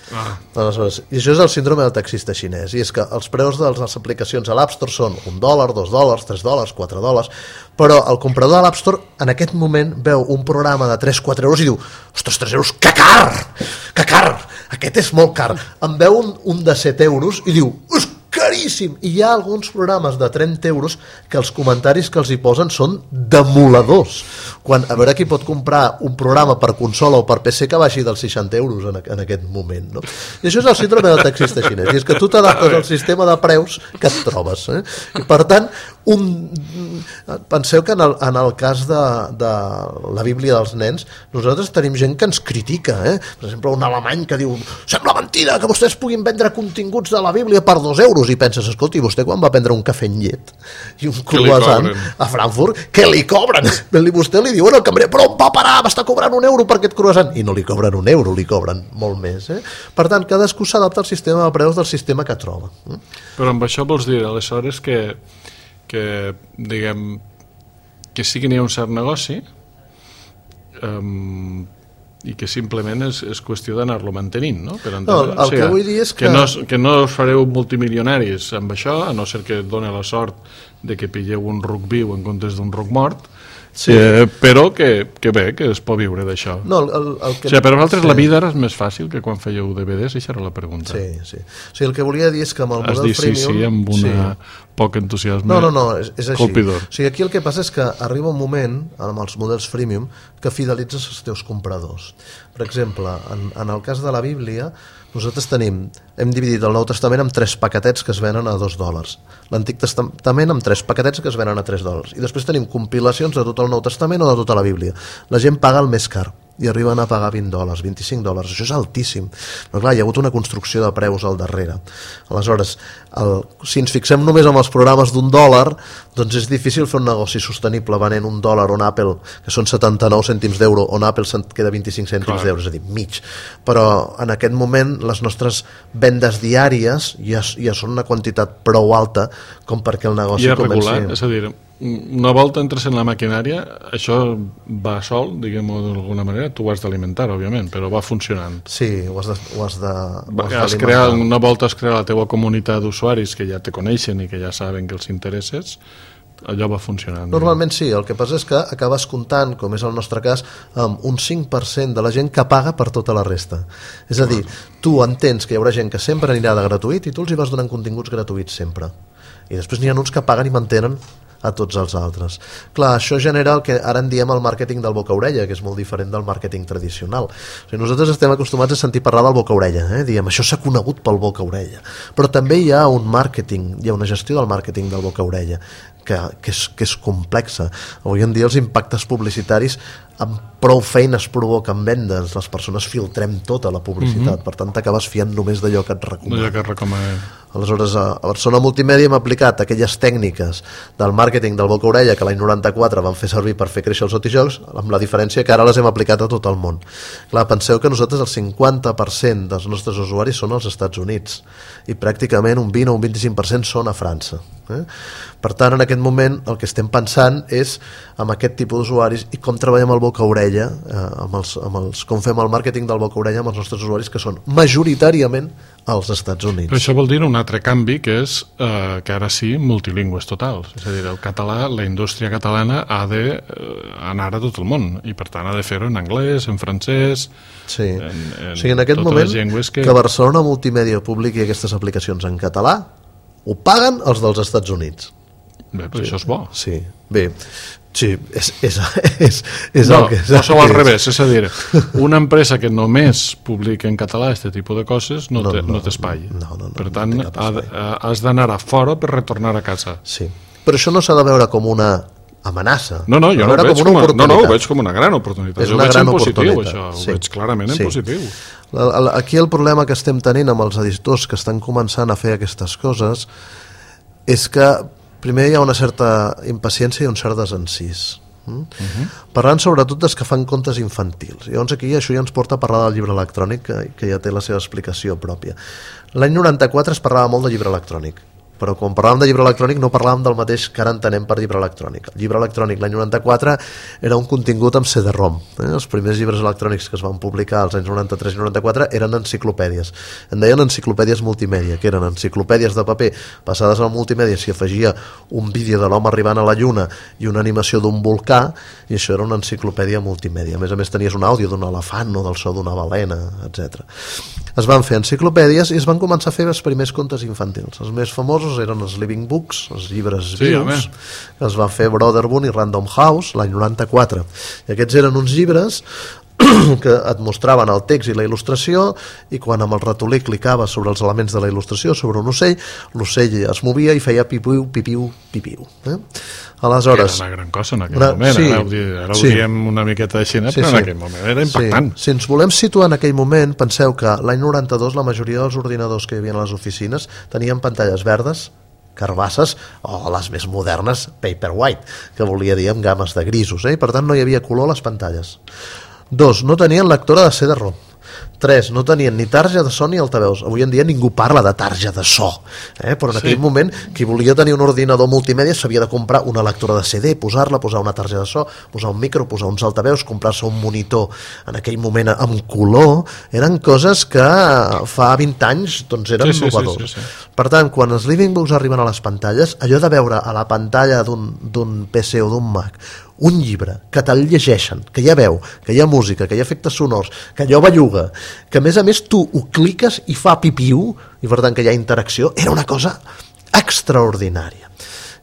Aleshores, i això és el síndrome del taxista xinès, i és que els preus de les aplicacions a l'App Store són $1, $2, $3, $4, però el comprador de l'App Store en aquest moment veu un programa de 3-4 euros i diu, ostres, 3 euros, que car, aquest és molt car. Em veu un de 7 euros i diu, caríssim, i hi ha alguns programes de 30 euros que els comentaris que els hi posen són demoladors, quan a veure qui pot comprar un programa per consola o per PC que baixi dels 60 euros en aquest moment, no? I això és el síndrome del taxista xinès, i és que tu t'adaptes al sistema de preus que et trobes, i per tant penseu que en el cas de la Bíblia dels nens, nosaltres tenim gent que ens critica, per exemple un alemany que diu, sembla mentida que vostès puguin vendre continguts de la Bíblia per 2 euros, i penses, escolti, vostè quan va prendre un cafè amb llet i un croissant a Frankfurt, què li cobren? Vostè li diu, el cambrer, però on va parar? M'està cobrant €1 per aquest croissant, i no li cobren €1, li cobren molt més, Per tant, cadascú s'adapta al sistema de preus del sistema que troba. Però amb això vols dir, aleshores, que diguem, que sí que n'hi ha un cert negoci, i que simplement és qüestió d'anar-lo mantenint, no? Per entendre. No, el que vull dir és que no us fareu multimilionaris amb això, a no ser que et doni la sort de que pilleu un ruc viu en comptes d'un ruc mort, sí. Però que bé, que es pot viure d'això. No, per vosaltres la vida era més fàcil que quan fèieu DVDs, això era la pregunta. Sí. O sigui, el que volia dir és que amb el model freemium... Sí, amb una poc entusiasme no, és així. Colpidor. O sigui, aquí el que passa és que arriba un moment, amb els models freemium, que fidelitzes els teus compradors. Per exemple, en el cas de la Bíblia, nosaltres hem dividit el Nou Testament en 3 paquetets que es venen a $2, l'Antic Testament amb 3 paquetets que es venen a $3, i després tenim compilacions de tot el Nou Testament o de tota la Bíblia. La gent paga el més car i arriben a pagar $20, $25, això és altíssim, però clar, hi ha hagut una construcció de preus al darrere. Aleshores, si ens fixem només en els programes d'$1, doncs és difícil fer un negoci sostenible venent $1 on Apple, que són 79 cèntims d'euro, on Apple se'n queda 25 cèntims d'euro, és a dir, mig. Però en aquest moment les nostres vendes diàries ja són una quantitat prou alta com perquè el negoci comenci... I és a dir, una volta entres en la maquinària, això va sol, diguem-ho d'alguna manera, tu ho has d'alimentar, òbviament, però va funcionant. Sí, ho has d'alimentar. Una volta es crea la teua comunitat d'usuaris que ja te coneixen i que ja saben que els interesses, allò va funcionant. Normalment sí, el que passa és que acabes comptant, com és el nostre cas, amb un 5% de la gent que paga per tota la resta. És a dir, tu entens que hi haurà gent que sempre anirà de gratuït i tu els hi vas donant continguts gratuïts sempre. I després n'hi ha uns que paguen i mantenen a tots els altres. Clar, això genera el que ara en diem el màrqueting del boca-orella, que és molt diferent del màrqueting tradicional. O sigui, nosaltres estem acostumats a sentir parlar del boca-orella, diem, això s'ha conegut pel boca-orella. Però també hi ha un màrqueting, hi ha una gestió del màrqueting del boca-orella, que és complexa. Avui en dia els impactes publicitaris amb prou feines provoquen vendes, les persones filtrem tota la publicitat, per tant t'acabes fiant només d'allò que et recomana. Aleshores, a Barcelona Multimèdia hem aplicat aquelles tècniques del màrqueting del boca-orella que l'any 94 van fer servir per fer créixer els autojocs, amb la diferència que ara les hem aplicat a tot el món. Clar, penseu que nosaltres el 50% dels nostres usuaris són als Estats Units i pràcticament un 20 o un 25% són a França. Per tant, en aquest moment el que estem pensant és amb aquest tipus d'usuaris i com treballem el boca-orella, com fem el màrqueting del boca-orella amb els nostres usuaris que són majoritàriament als Estats Units. Però això vol dir un altre canvi, que és que ara sí, multilingües totals. És a dir, el català, la indústria catalana ha d'anar a tot el món i per tant ha de fer-ho en anglès, en francès, sí. O sigui, en aquest moment que Barcelona Multimèdia publiqui aquestes aplicacions en català ho paguen els dels Estats Units. Bé, però això és bo. Sí, bé, sí, és el que és. No sou al revés, és a dir, una empresa que només publica en català aquest tipus de coses no té espai. Per tant, has d'anar a fora per retornar a casa. Sí, però això no s'ha de veure com una amenaça. No, jo no ho veig com una gran oportunitat. És una gran oportunitat. Ho veig clarament en positiu. Aquí el problema que estem tenint amb els editors que estan començant a fer aquestes coses és que primer hi ha una certa impaciència i un cert desencís. Parlant sobretot dels que fan contes infantils. Llavors aquí això ja ens porta a parlar del llibre electrònic, que ja té la seva explicació pròpia. L'any 94 es parlava molt de llibre electrònic, però quan parlàvem de llibre electrònic no parlàvem del mateix que ara entenem per llibre electrònic. El llibre electrònic l'any 94 era un contingut amb CD-ROM. Els primers llibres electrònics que es van publicar als anys 93 i 94 eren enciclopèdies. En deien enciclopèdies multimèdia, que eren enciclopèdies de paper passades al multimèdia, s'hi afegia un vídeo de l'home arribant a la Lluna i una animació d'un volcà, i això era una enciclopèdia multimèdia. A més tenies un àudio d'un elefant o del so d'una balena, etc. Es van fer enciclopèdies i es van començar a fer els primers contes infantils. Els més famosos eren els Living Books, els llibres vius, que es van fer Brotherbund i Random House l'any 94. I aquests eren uns llibres que et mostraven el text i la il·lustració, i quan amb el ratolí clicaves sobre els elements de la il·lustració, sobre un ocell, l'ocell es movia i feia pipiu, pipiu, pipiu. Aleshores, era una gran cosa en aquell moment, sí, ara ho diem una miqueta així, però en aquell moment era impactant. Si ens volem situar en aquell moment, penseu que l'any 92 la majoria dels ordinadors que hi havia a les oficines tenien pantalles verdes, carbasses, o les més modernes Paperwhite, que volia dir amb games de grisos, i per tant no hi havia color a les pantalles. 2. No tenien lectora de CD-ROM. 3. No tenien ni tarja de so ni altaveus. Avui en dia ningú parla de tarja de so, però en aquell moment qui volia tenir un ordinador multimèdia s'havia de comprar una lectora de CD, posar-la, posar una tarja de so, posar un micro, posar uns altaveus, comprar-se un monitor en aquell moment amb color. Eren coses que fa 20 anys doncs eren innovadors. Sí. Per tant, quan els Living Books arriben a les pantalles, allò de veure a la pantalla d'un PC o d'un Mac un llibre, que te'l llegeixen, que hi ha veu, que hi ha música, que hi ha efectes sonors, que allò belluga, que a més tu ho cliques i fa pipiu, i per tant que hi ha interacció, era una cosa extraordinària.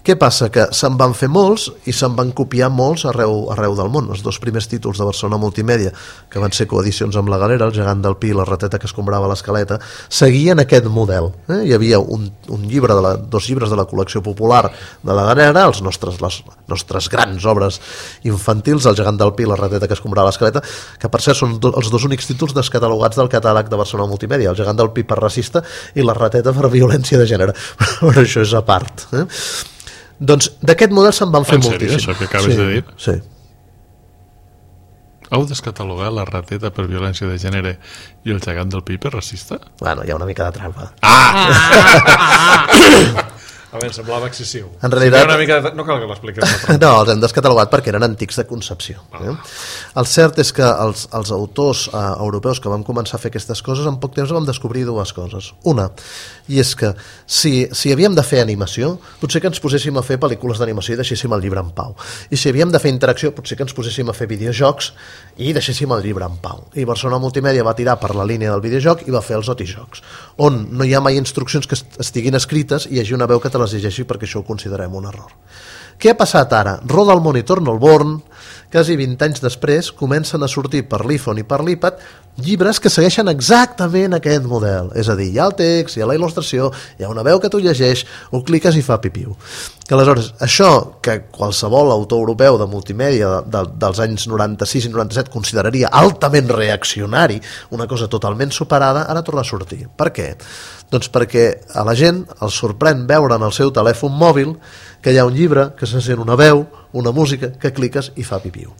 Què passa? Que se'n van fer molts i se'n van copiar molts arreu del món. Els 2 primers títols de Barcelona Multimèdia, que van ser coedicions amb la Galera, El gegant del Pi i La rateta que escombrava l'escaleta, seguien aquest model. Hi havia un llibre 2 llibres de la col·lecció popular de la Galera, les nostres grans obres infantils, El gegant del Pi i La rateta que escombrava l'escaleta, que per cert són els 2 únics títols descatalogats del catàleg de Barcelona Multimèdia, El gegant del Pi per racista i La rateta per violència de gènere. Però això és a part. Doncs d'aquest model se'n van fer moltíssim. En sèrio, això que acabes de dir? Sí. Heu descatalogat La rateta per violència de gènere i El gegant del Pi per racista? Bueno, hi ha una mica de trampa. A veure, semblava excessiu. En realitat... No cal que l'expliquem. No, els hem descatalogat perquè eren antics de concepció. El cert és que els autors europeus que vam començar a fer aquestes coses, en poc temps vam descobrir 2 coses. Una, i és que si havíem de fer animació, potser que ens poséssim a fer pel·lícules d'animació i deixéssim el llibre en pau. I si havíem de fer interacció, potser que ens poséssim a fer videojocs i deixéssim el llibre en pau. I Barcelona Multimèdia va tirar per la línia del videojoc i va fer els otijocs, on no hi ha mai instruccions que estiguin escrites i hi hagi una veu que te les llegeixi, perquè això ho considerem un error. Què ha passat ara? Roda el monitor Norborn, quasi 20 anys després comencen a sortir per l'iPhone i per l'iPad llibres que segueixen exactament aquest model, és a dir, hi ha el text, hi ha la il·lustració, hi ha una veu que tu llegeix, ho cliques i fa pipiu. Que aleshores, això que qualsevol autor europeu de multimèdia dels anys 96 i 97 consideraria altament reaccionari, una cosa totalment superada, ara torna a sortir. Per què? Doncs perquè a la gent els sorprèn veure en el seu telèfon mòbil que hi ha un llibre, que se sent una veu, una música, que cliques i fa pipiu.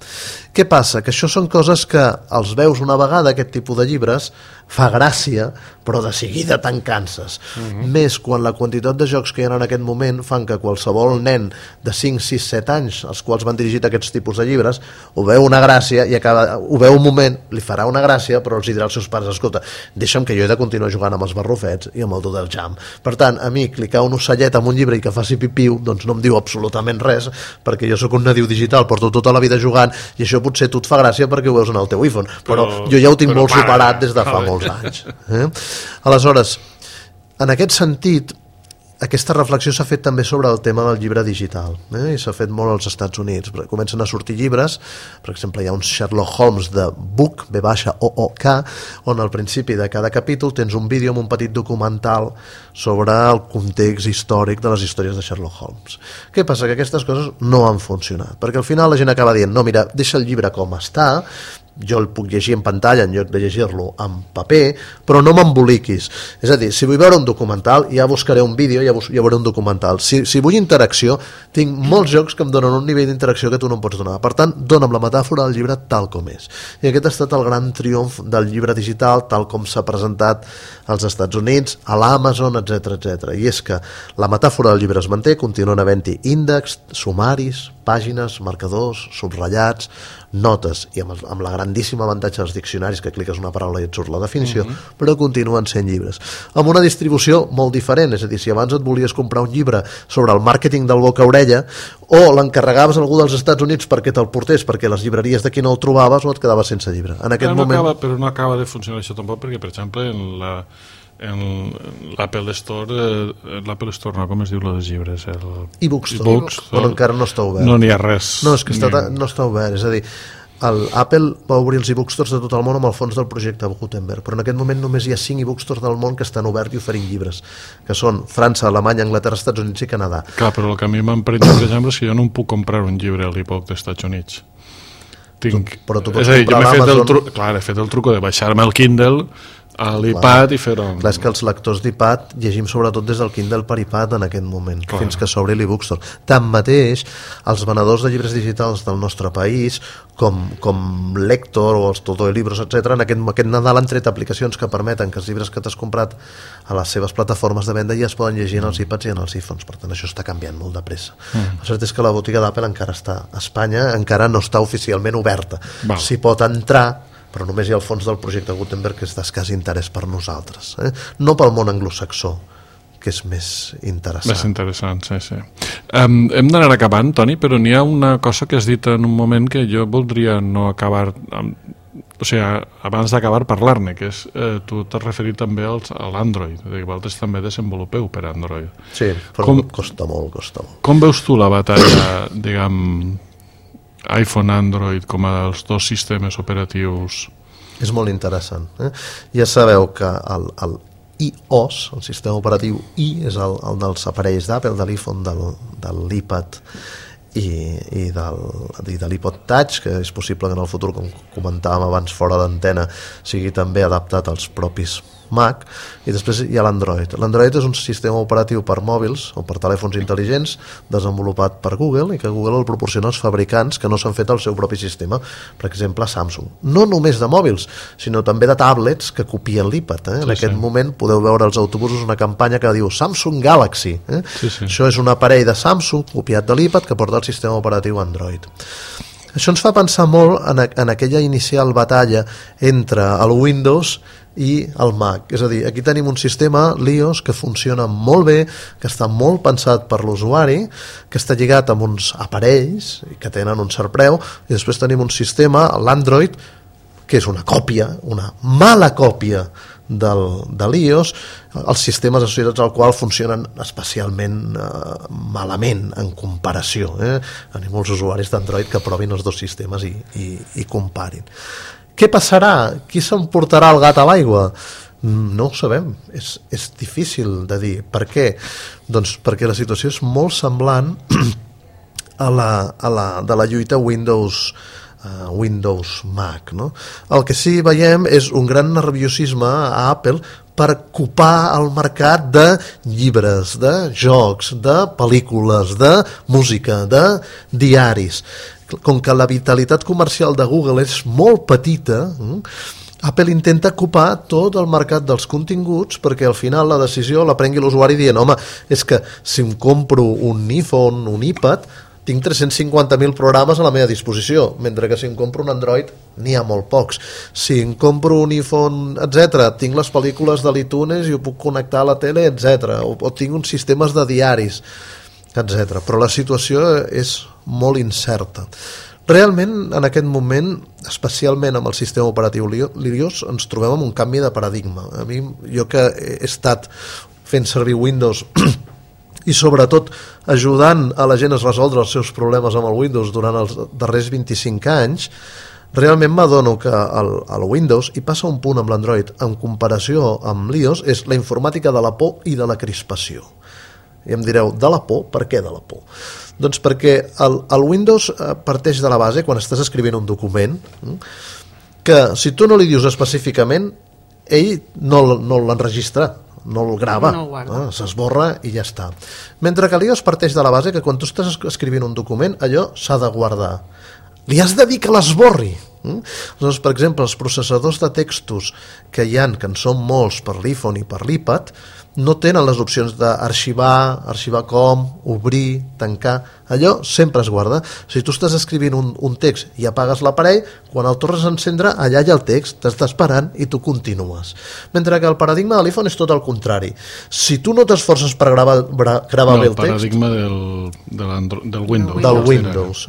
Què passa? Que això són coses que els veus una vegada, aquest tipus de llibres, fa gràcia, però de seguida te'n canses. Més quan la quantitat de jocs que hi ha en aquest moment fan que qualsevol nen de 5, 6, 7 anys, als quals van dirigit aquests tipus de llibres, ho veu una gràcia i ho veu un moment, li farà una gràcia, però els dirà als seus pares, escolta, deixa'm que jo he de continuar jugant amb els barrufets i amb el Doodle Jam. Per tant, a mi clicar un ocellet amb un llibre i que faci pipiu, doncs no em diu absolutament res, perquè jo sóc un nadiu digital, porto tota la vida jugant i això potser tu et fa gràcia perquè ho veus en el teu iPhone, però jo ja ho tinc molt superat des de fa molts anys. Aleshores, en aquest sentit, aquesta reflexió s'ha fet també sobre el tema del llibre digital, i s'ha fet molt als Estats Units. Comencen a sortir llibres, per exemple hi ha un Sherlock Holmes de Book, B-O-O-K, on al principi de cada capítol tens un vídeo amb un petit documental sobre el context històric de les històries de Sherlock Holmes. Què passa? Que aquestes coses no han funcionat, perquè al final la gent acaba dient, no, mira, deixa el llibre com està, jo el puc llegir en pantalla en lloc de llegir-lo en paper, però no m'emboliquis. És a dir, si vull veure un documental, ja buscaré un vídeo, ja veuré un documental. Si vull interacció, tinc molts jocs que em donen un nivell d'interacció que tu no em pots donar. Per tant, dona'm la metàfora del llibre tal com és. I aquest ha estat el gran triomf del llibre digital, tal com s'ha presentat als Estats Units, a l'Amazon, etc. I és que la metàfora del llibre es manté, continuen havent-hi índexs, sumaris, pàgines, marcadors, subratllats, notes, i amb la grandíssima avantatge dels diccionaris, que cliques una paraula i et surt la definició, però continuen sent llibres. Amb una distribució molt diferent, és a dir, si abans et volies comprar un llibre sobre el màrqueting del boca-orella, o l'encarregaves a algú dels Estats Units perquè te'l portés, perquè les llibreries d'aquí no el trobaves, o et quedaves sense llibre. En aquest moment... Però no acaba de funcionar això tampoc, perquè, per exemple, en l'Apple Store, no, com es diu lo dels llibres? E-Bookstore, però encara no està obert. No n'hi ha res. No, és que no està obert, és a dir, Apple va obrir els e-bookstores de tot el món amb el fons del projecte Gutenberg, però en aquest moment només hi ha 5 e-bookstores del món que estan oberts i oferint llibres, que són França, Alemanya, Anglaterra, Estats Units i Canadà. Clar, però el que a mi m'emprenya, per exemple, és que jo no em puc comprar un llibre a l'e-book dels Estats Units. Però tu pots és a dir, jo comprar l'Amazon... he fet el truco de baixar-me el Kindle a l'iPad i fer-ho... Clar, és que els lectors d'iPad llegim sobretot des del Kindle per iPad en aquest moment, fins que s'obri l'e-bookstore. Tanmateix, els venedors de llibres digitals del nostre país, com Lector o els Todo Libros, etc., en aquest Nadal han tret aplicacions que permeten que els llibres que t'has comprat a les seves plataformes de venda ja es poden llegir en els iPads i en els iPhones. Per tant, això està canviant molt de pressa. El cert és que la botiga d'Apple encara està a Espanya, encara no està oficialment oberta. S'hi pot entrar, però només hi ha el fons del projecte Gutenberg, que és d'escàs interès per nosaltres, no pel món anglosaxó, que és més interessant. Més interessant, sí. Hem d'anar acabant, Toni, però n'hi ha una cosa que has dit en un moment que jo voldria no acabar... O sigui, abans d'acabar parlar-ne, que és, tu t'has referit també a l'Android, que vosaltres també desenvolupeu per Android. Sí, però costa molt. Com veus tu la batalla, diguem, iPhone, Android, com a dels dos sistemes operatius? És molt interessant. Ja sabeu que el iOS, el sistema operatiu i, és el dels aparells d'Apple, de l'iPhone, de l'iPad i de l'iPod Touch, que és possible que en el futur, com comentàvem abans fora d'antena, sigui també adaptat als propis Mac. I després hi ha l'Android. L'Android és un sistema operatiu per mòbils o per telèfons intel·ligents desenvolupat per Google i que Google el proporciona als fabricants que no s'han fet el seu propi sistema, per exemple Samsung. No només de mòbils, sinó també de tablets que copien l'iPad. En aquest moment podeu veure als autobusos una campanya que diu Samsung Galaxy. Això és un aparell de Samsung copiat de l'iPad que porta el sistema operatiu Android. Això ens fa pensar molt en aquella inicial batalla entre el Windows i el Mac. És a dir, aquí tenim un sistema, l'iOS, que funciona molt bé, que està molt pensat per l'usuari, que està lligat amb uns aparells que tenen un cert preu, i després tenim un sistema, l'Android, que és una còpia, una mala còpia de l'iOS, els sistemes associats al qual funcionen especialment malament en comparació. Tenim molts usuaris d'Android que provin els dos sistemes i comparin. Què passarà? Qui s'emportarà el gat a l'aigua? No ho sabem, és difícil de dir. Per què? Doncs perquè la situació és molt semblant a la lluita Windows-Mac, no? El que sí veiem és un gran nerviosisme a Apple per copar el mercat de llibres, de jocs, de pel·lícules, de música, de diaris. Com que la vitalitat comercial de Google és molt petita, Apple intenta ocupar tot el mercat dels continguts perquè al final la decisió la prengui l'usuari dient, home, és que si em compro un iPhone, un iPad, tinc 350.000 programes a la meva disposició, mentre que si em compro un Android n'hi ha molt pocs. Si em compro un iPhone, etc., tinc les pel·lícules de l'iTunes i ho puc connectar a la tele, etc., o tinc uns sistemes de diaris, etc. Però la situació és molt incerta. Realment, en aquest moment, especialment amb el sistema operatiu l'iOS, ens trobem amb un canvi de paradigma. A mi, jo que he estat fent servir Windows i sobretot ajudant a la gent a resoldre els seus problemes amb el Windows durant els darrers 25 anys, realment m'adono que el Windows, i passa un punt amb l'Android, en comparació amb l'iOS, és la informàtica de la por i de la crispació. I em direu, de la por? Per què de la por? Doncs perquè el Windows parteix de la base, quan estàs escrivint un document, que si tu no li dius específicament, ell no l'enregistra, no el grava, s'esborra i ja està. Mentre que l'iOS parteix de la base que quan tu estàs escrivint un document, allò s'ha de guardar. Li has de dir que l'esborri. Aleshores, per exemple, els processadors de textos que hi ha, que en són molts per l'iPhone i per l'iPad, no tenen les opcions d'arxivar, arxivar com, obrir, tancar. Allò sempre es guarda. Si tu estàs escrivint un text i apagues l'aparell, quan el tornes a encendre, allà hi ha el text, t'està esperant i tu continues. Mentre que el paradigma de l'iPhone és tot el contrari. Si tu no t'esforces per gravar bé el text... El paradigma del Windows. Del Windows.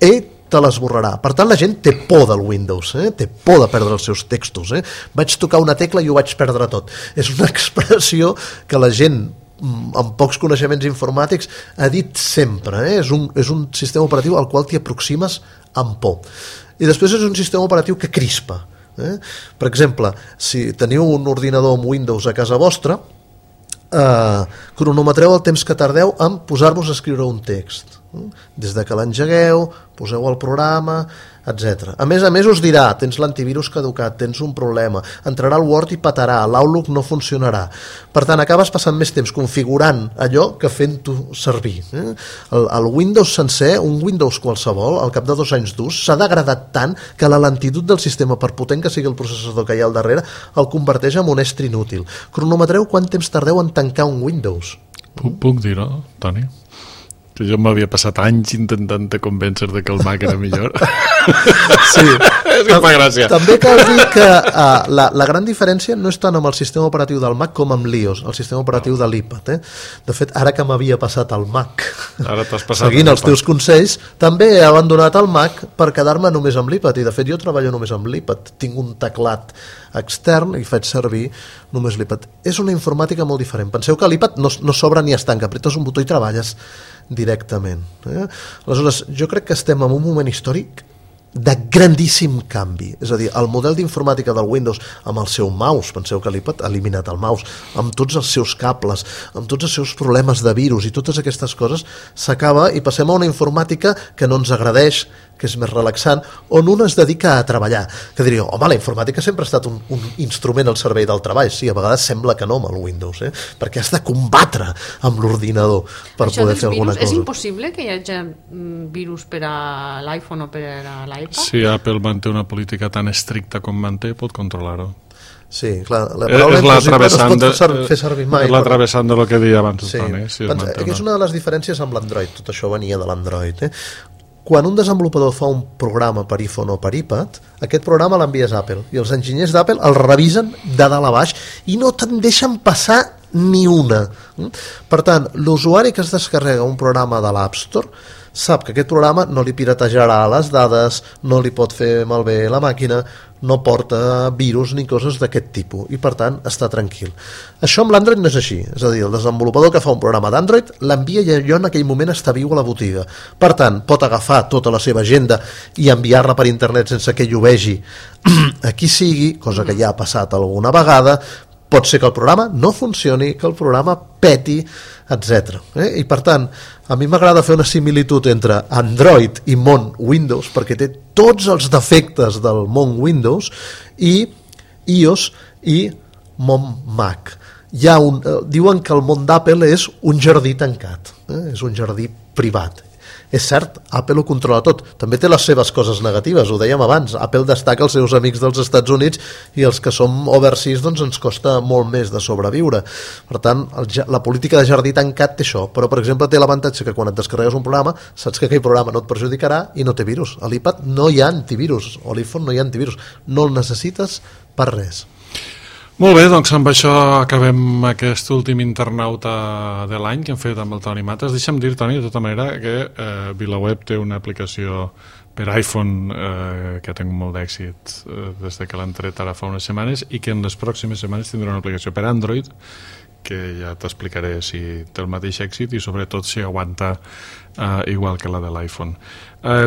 Ell te l'esborrarà. Per tant, la gent té por del Windows, té por de perdre els seus textos. Vaig tocar una tecla i ho vaig perdre tot. És una expressió que la gent amb pocs coneixements informàtics ha dit sempre. És un sistema operatiu al qual t'hi aproximes amb por. I després és un sistema operatiu que crispa. Per exemple, si teniu un ordinador amb Windows a casa vostra, cronometreu el temps que tardeu en posar-vos a escriure un text. Des de que l'engegueu, poseu el programa, etc. A més, us dirà, tens l'antivirus caducat, tens un problema, entrarà al Word i petarà, l'Outlook no funcionarà. Per tant, acabes passant més temps configurant allò que fent-ho servir. El Windows sencer, un Windows qualsevol, al cap de 2 anys d'ús, s'ha degradat tant que la lentitud del sistema, per potent que sigui el processador que hi ha al darrere, el converteix en un estri inútil. Cronometreu quant temps tardeu en tancar un Windows. Puc dir-ho, Toni? Que jo m'havia passat anys intentant de convèncer de que el Mac era millor. Sí. És que fa gràcia. També cal dir que la gran diferència no és tant amb el sistema operatiu del Mac com amb l'iOS, el sistema operatiu de l'iPad. De fet, ara que m'havia passat al Mac, ara t'has passat seguint els teus consells, també he abandonat el Mac per quedar-me només amb l'iPad, i de fet jo treballo només amb l'iPad. Tinc un teclat extern i faig servir només l'iPad. És una informàtica molt diferent. Penseu que l'iPad no s'obre ni es tanca, apretes un botó i treballes directament. Aleshores, jo crec que estem en un moment històric de grandíssim canvi. És a dir, el model d'informàtica del Windows amb el seu mouse, penseu que l'iPad ha eliminat el mouse, amb tots els seus cables, amb tots els seus problemes de virus i totes aquestes coses, s'acaba i passem a una informàtica que no ens agradeix, que és més relaxant, on un es dedica a treballar. Que diríeu, home, la informàtica sempre ha estat un instrument al servei del treball. Sí, a vegades sembla que no amb el Windows, perquè has de combatre amb l'ordinador per poder fer alguna cosa. És impossible que hi hagi virus per a l'iPhone o per a l'iPad? Si Apple manté una política tan estricta com manté, pot controlar-ho. Sí, clar, la paraula impossible no es pot fer servir mai. És l'atravessant de lo que deia abans el Toni. És una de les diferències amb l'Android, tot això venia de l'Android. Quan un desenvolupador fa un programa per iPhone o per iPad, aquest programa l'envies a Apple i els enginyers d'Apple el revisen de dalt a baix i no te'n deixen passar ni una. Per tant, l'usuari que es descarrega un programa de l'App Store sap que aquest programa no li piratejarà les dades, no li pot fer malbé la màquina, no porta virus ni coses d'aquest tipus i per tant està tranquil. Això amb l'Android no és així, és a dir, el desenvolupador que fa un programa d'Android l'envia i allò en aquell moment està viu a la botiga. Per tant, pot agafar tota la seva agenda i enviar-la per internet sense que ell ho vegi a qui sigui, cosa que ja ha passat alguna vegada. Pot ser que el programa no funcioni, que el programa peti, etc. I per tant, a mi m'agrada fer una similitud entre Android i món Windows, perquè té tots els defectes del món Windows, i iOS i món Mac. Diuen que el món d'Apple és un jardí tancat, és un jardí privat. És cert, Apple ho controla tot. També té les seves coses negatives, ho dèiem abans. Apple destaca els seus amics dels Estats Units i els que som overseas doncs ens costa molt més de sobreviure. Per tant, la política de jardí tancat té això, però per exemple té l'avantatge que quan et descarregues un programa saps que aquell programa no et perjudicarà i no té virus. A l'iPad no hi ha antivirus, o a l'iPhone no hi ha antivirus. No el necessites per res. Molt bé, doncs amb això acabem aquest últim internauta de l'any que hem fet amb el Toni Matas. Deixa'm dir, Toni, de tota manera, que VilaWeb té una aplicació per iPhone que ha tingut molt d'èxit des que l'han tret ara fa unes setmanes i que en les pròximes setmanes tindrà una aplicació per Android que ja t'explicaré si té el mateix èxit i sobretot si aguanta igual que la de l'iPhone.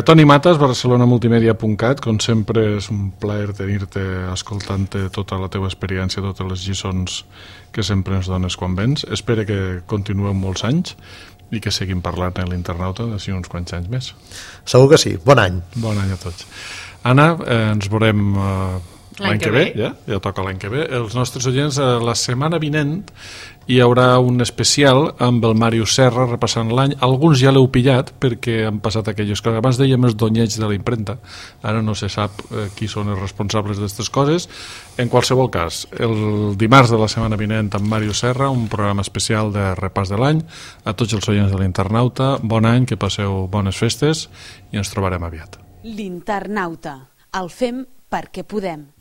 Toni Matas, barcelonamultimedia.cat, com sempre és un plaer tenir-te escoltant-te tota la teva experiència, totes les lliçons que sempre ens dones quan vens. Espero que continueu molts anys i que seguim parlant en l'internauta d'ací uns quants anys més. Segur que sí. Bon any. Bon any a tots. Anna, ens veurem l'any que ve, ja toca l'any que ve. Els nostres oients, la setmana vinent hi haurà un especial amb el Màrius Serra repassant l'any. Alguns ja l'heu pillat perquè han passat aquelles coses. Abans dèiem els donyeig de la impremta, ara no se sap qui són els responsables d'aquestes coses. En qualsevol cas, el dimarts de la setmana vinent amb Màrius Serra, un programa especial de repàs de l'any. A tots els oients de l'Internauta, bon any, que passeu bones festes i ens trobarem aviat. L'Internauta, el fem perquè podem.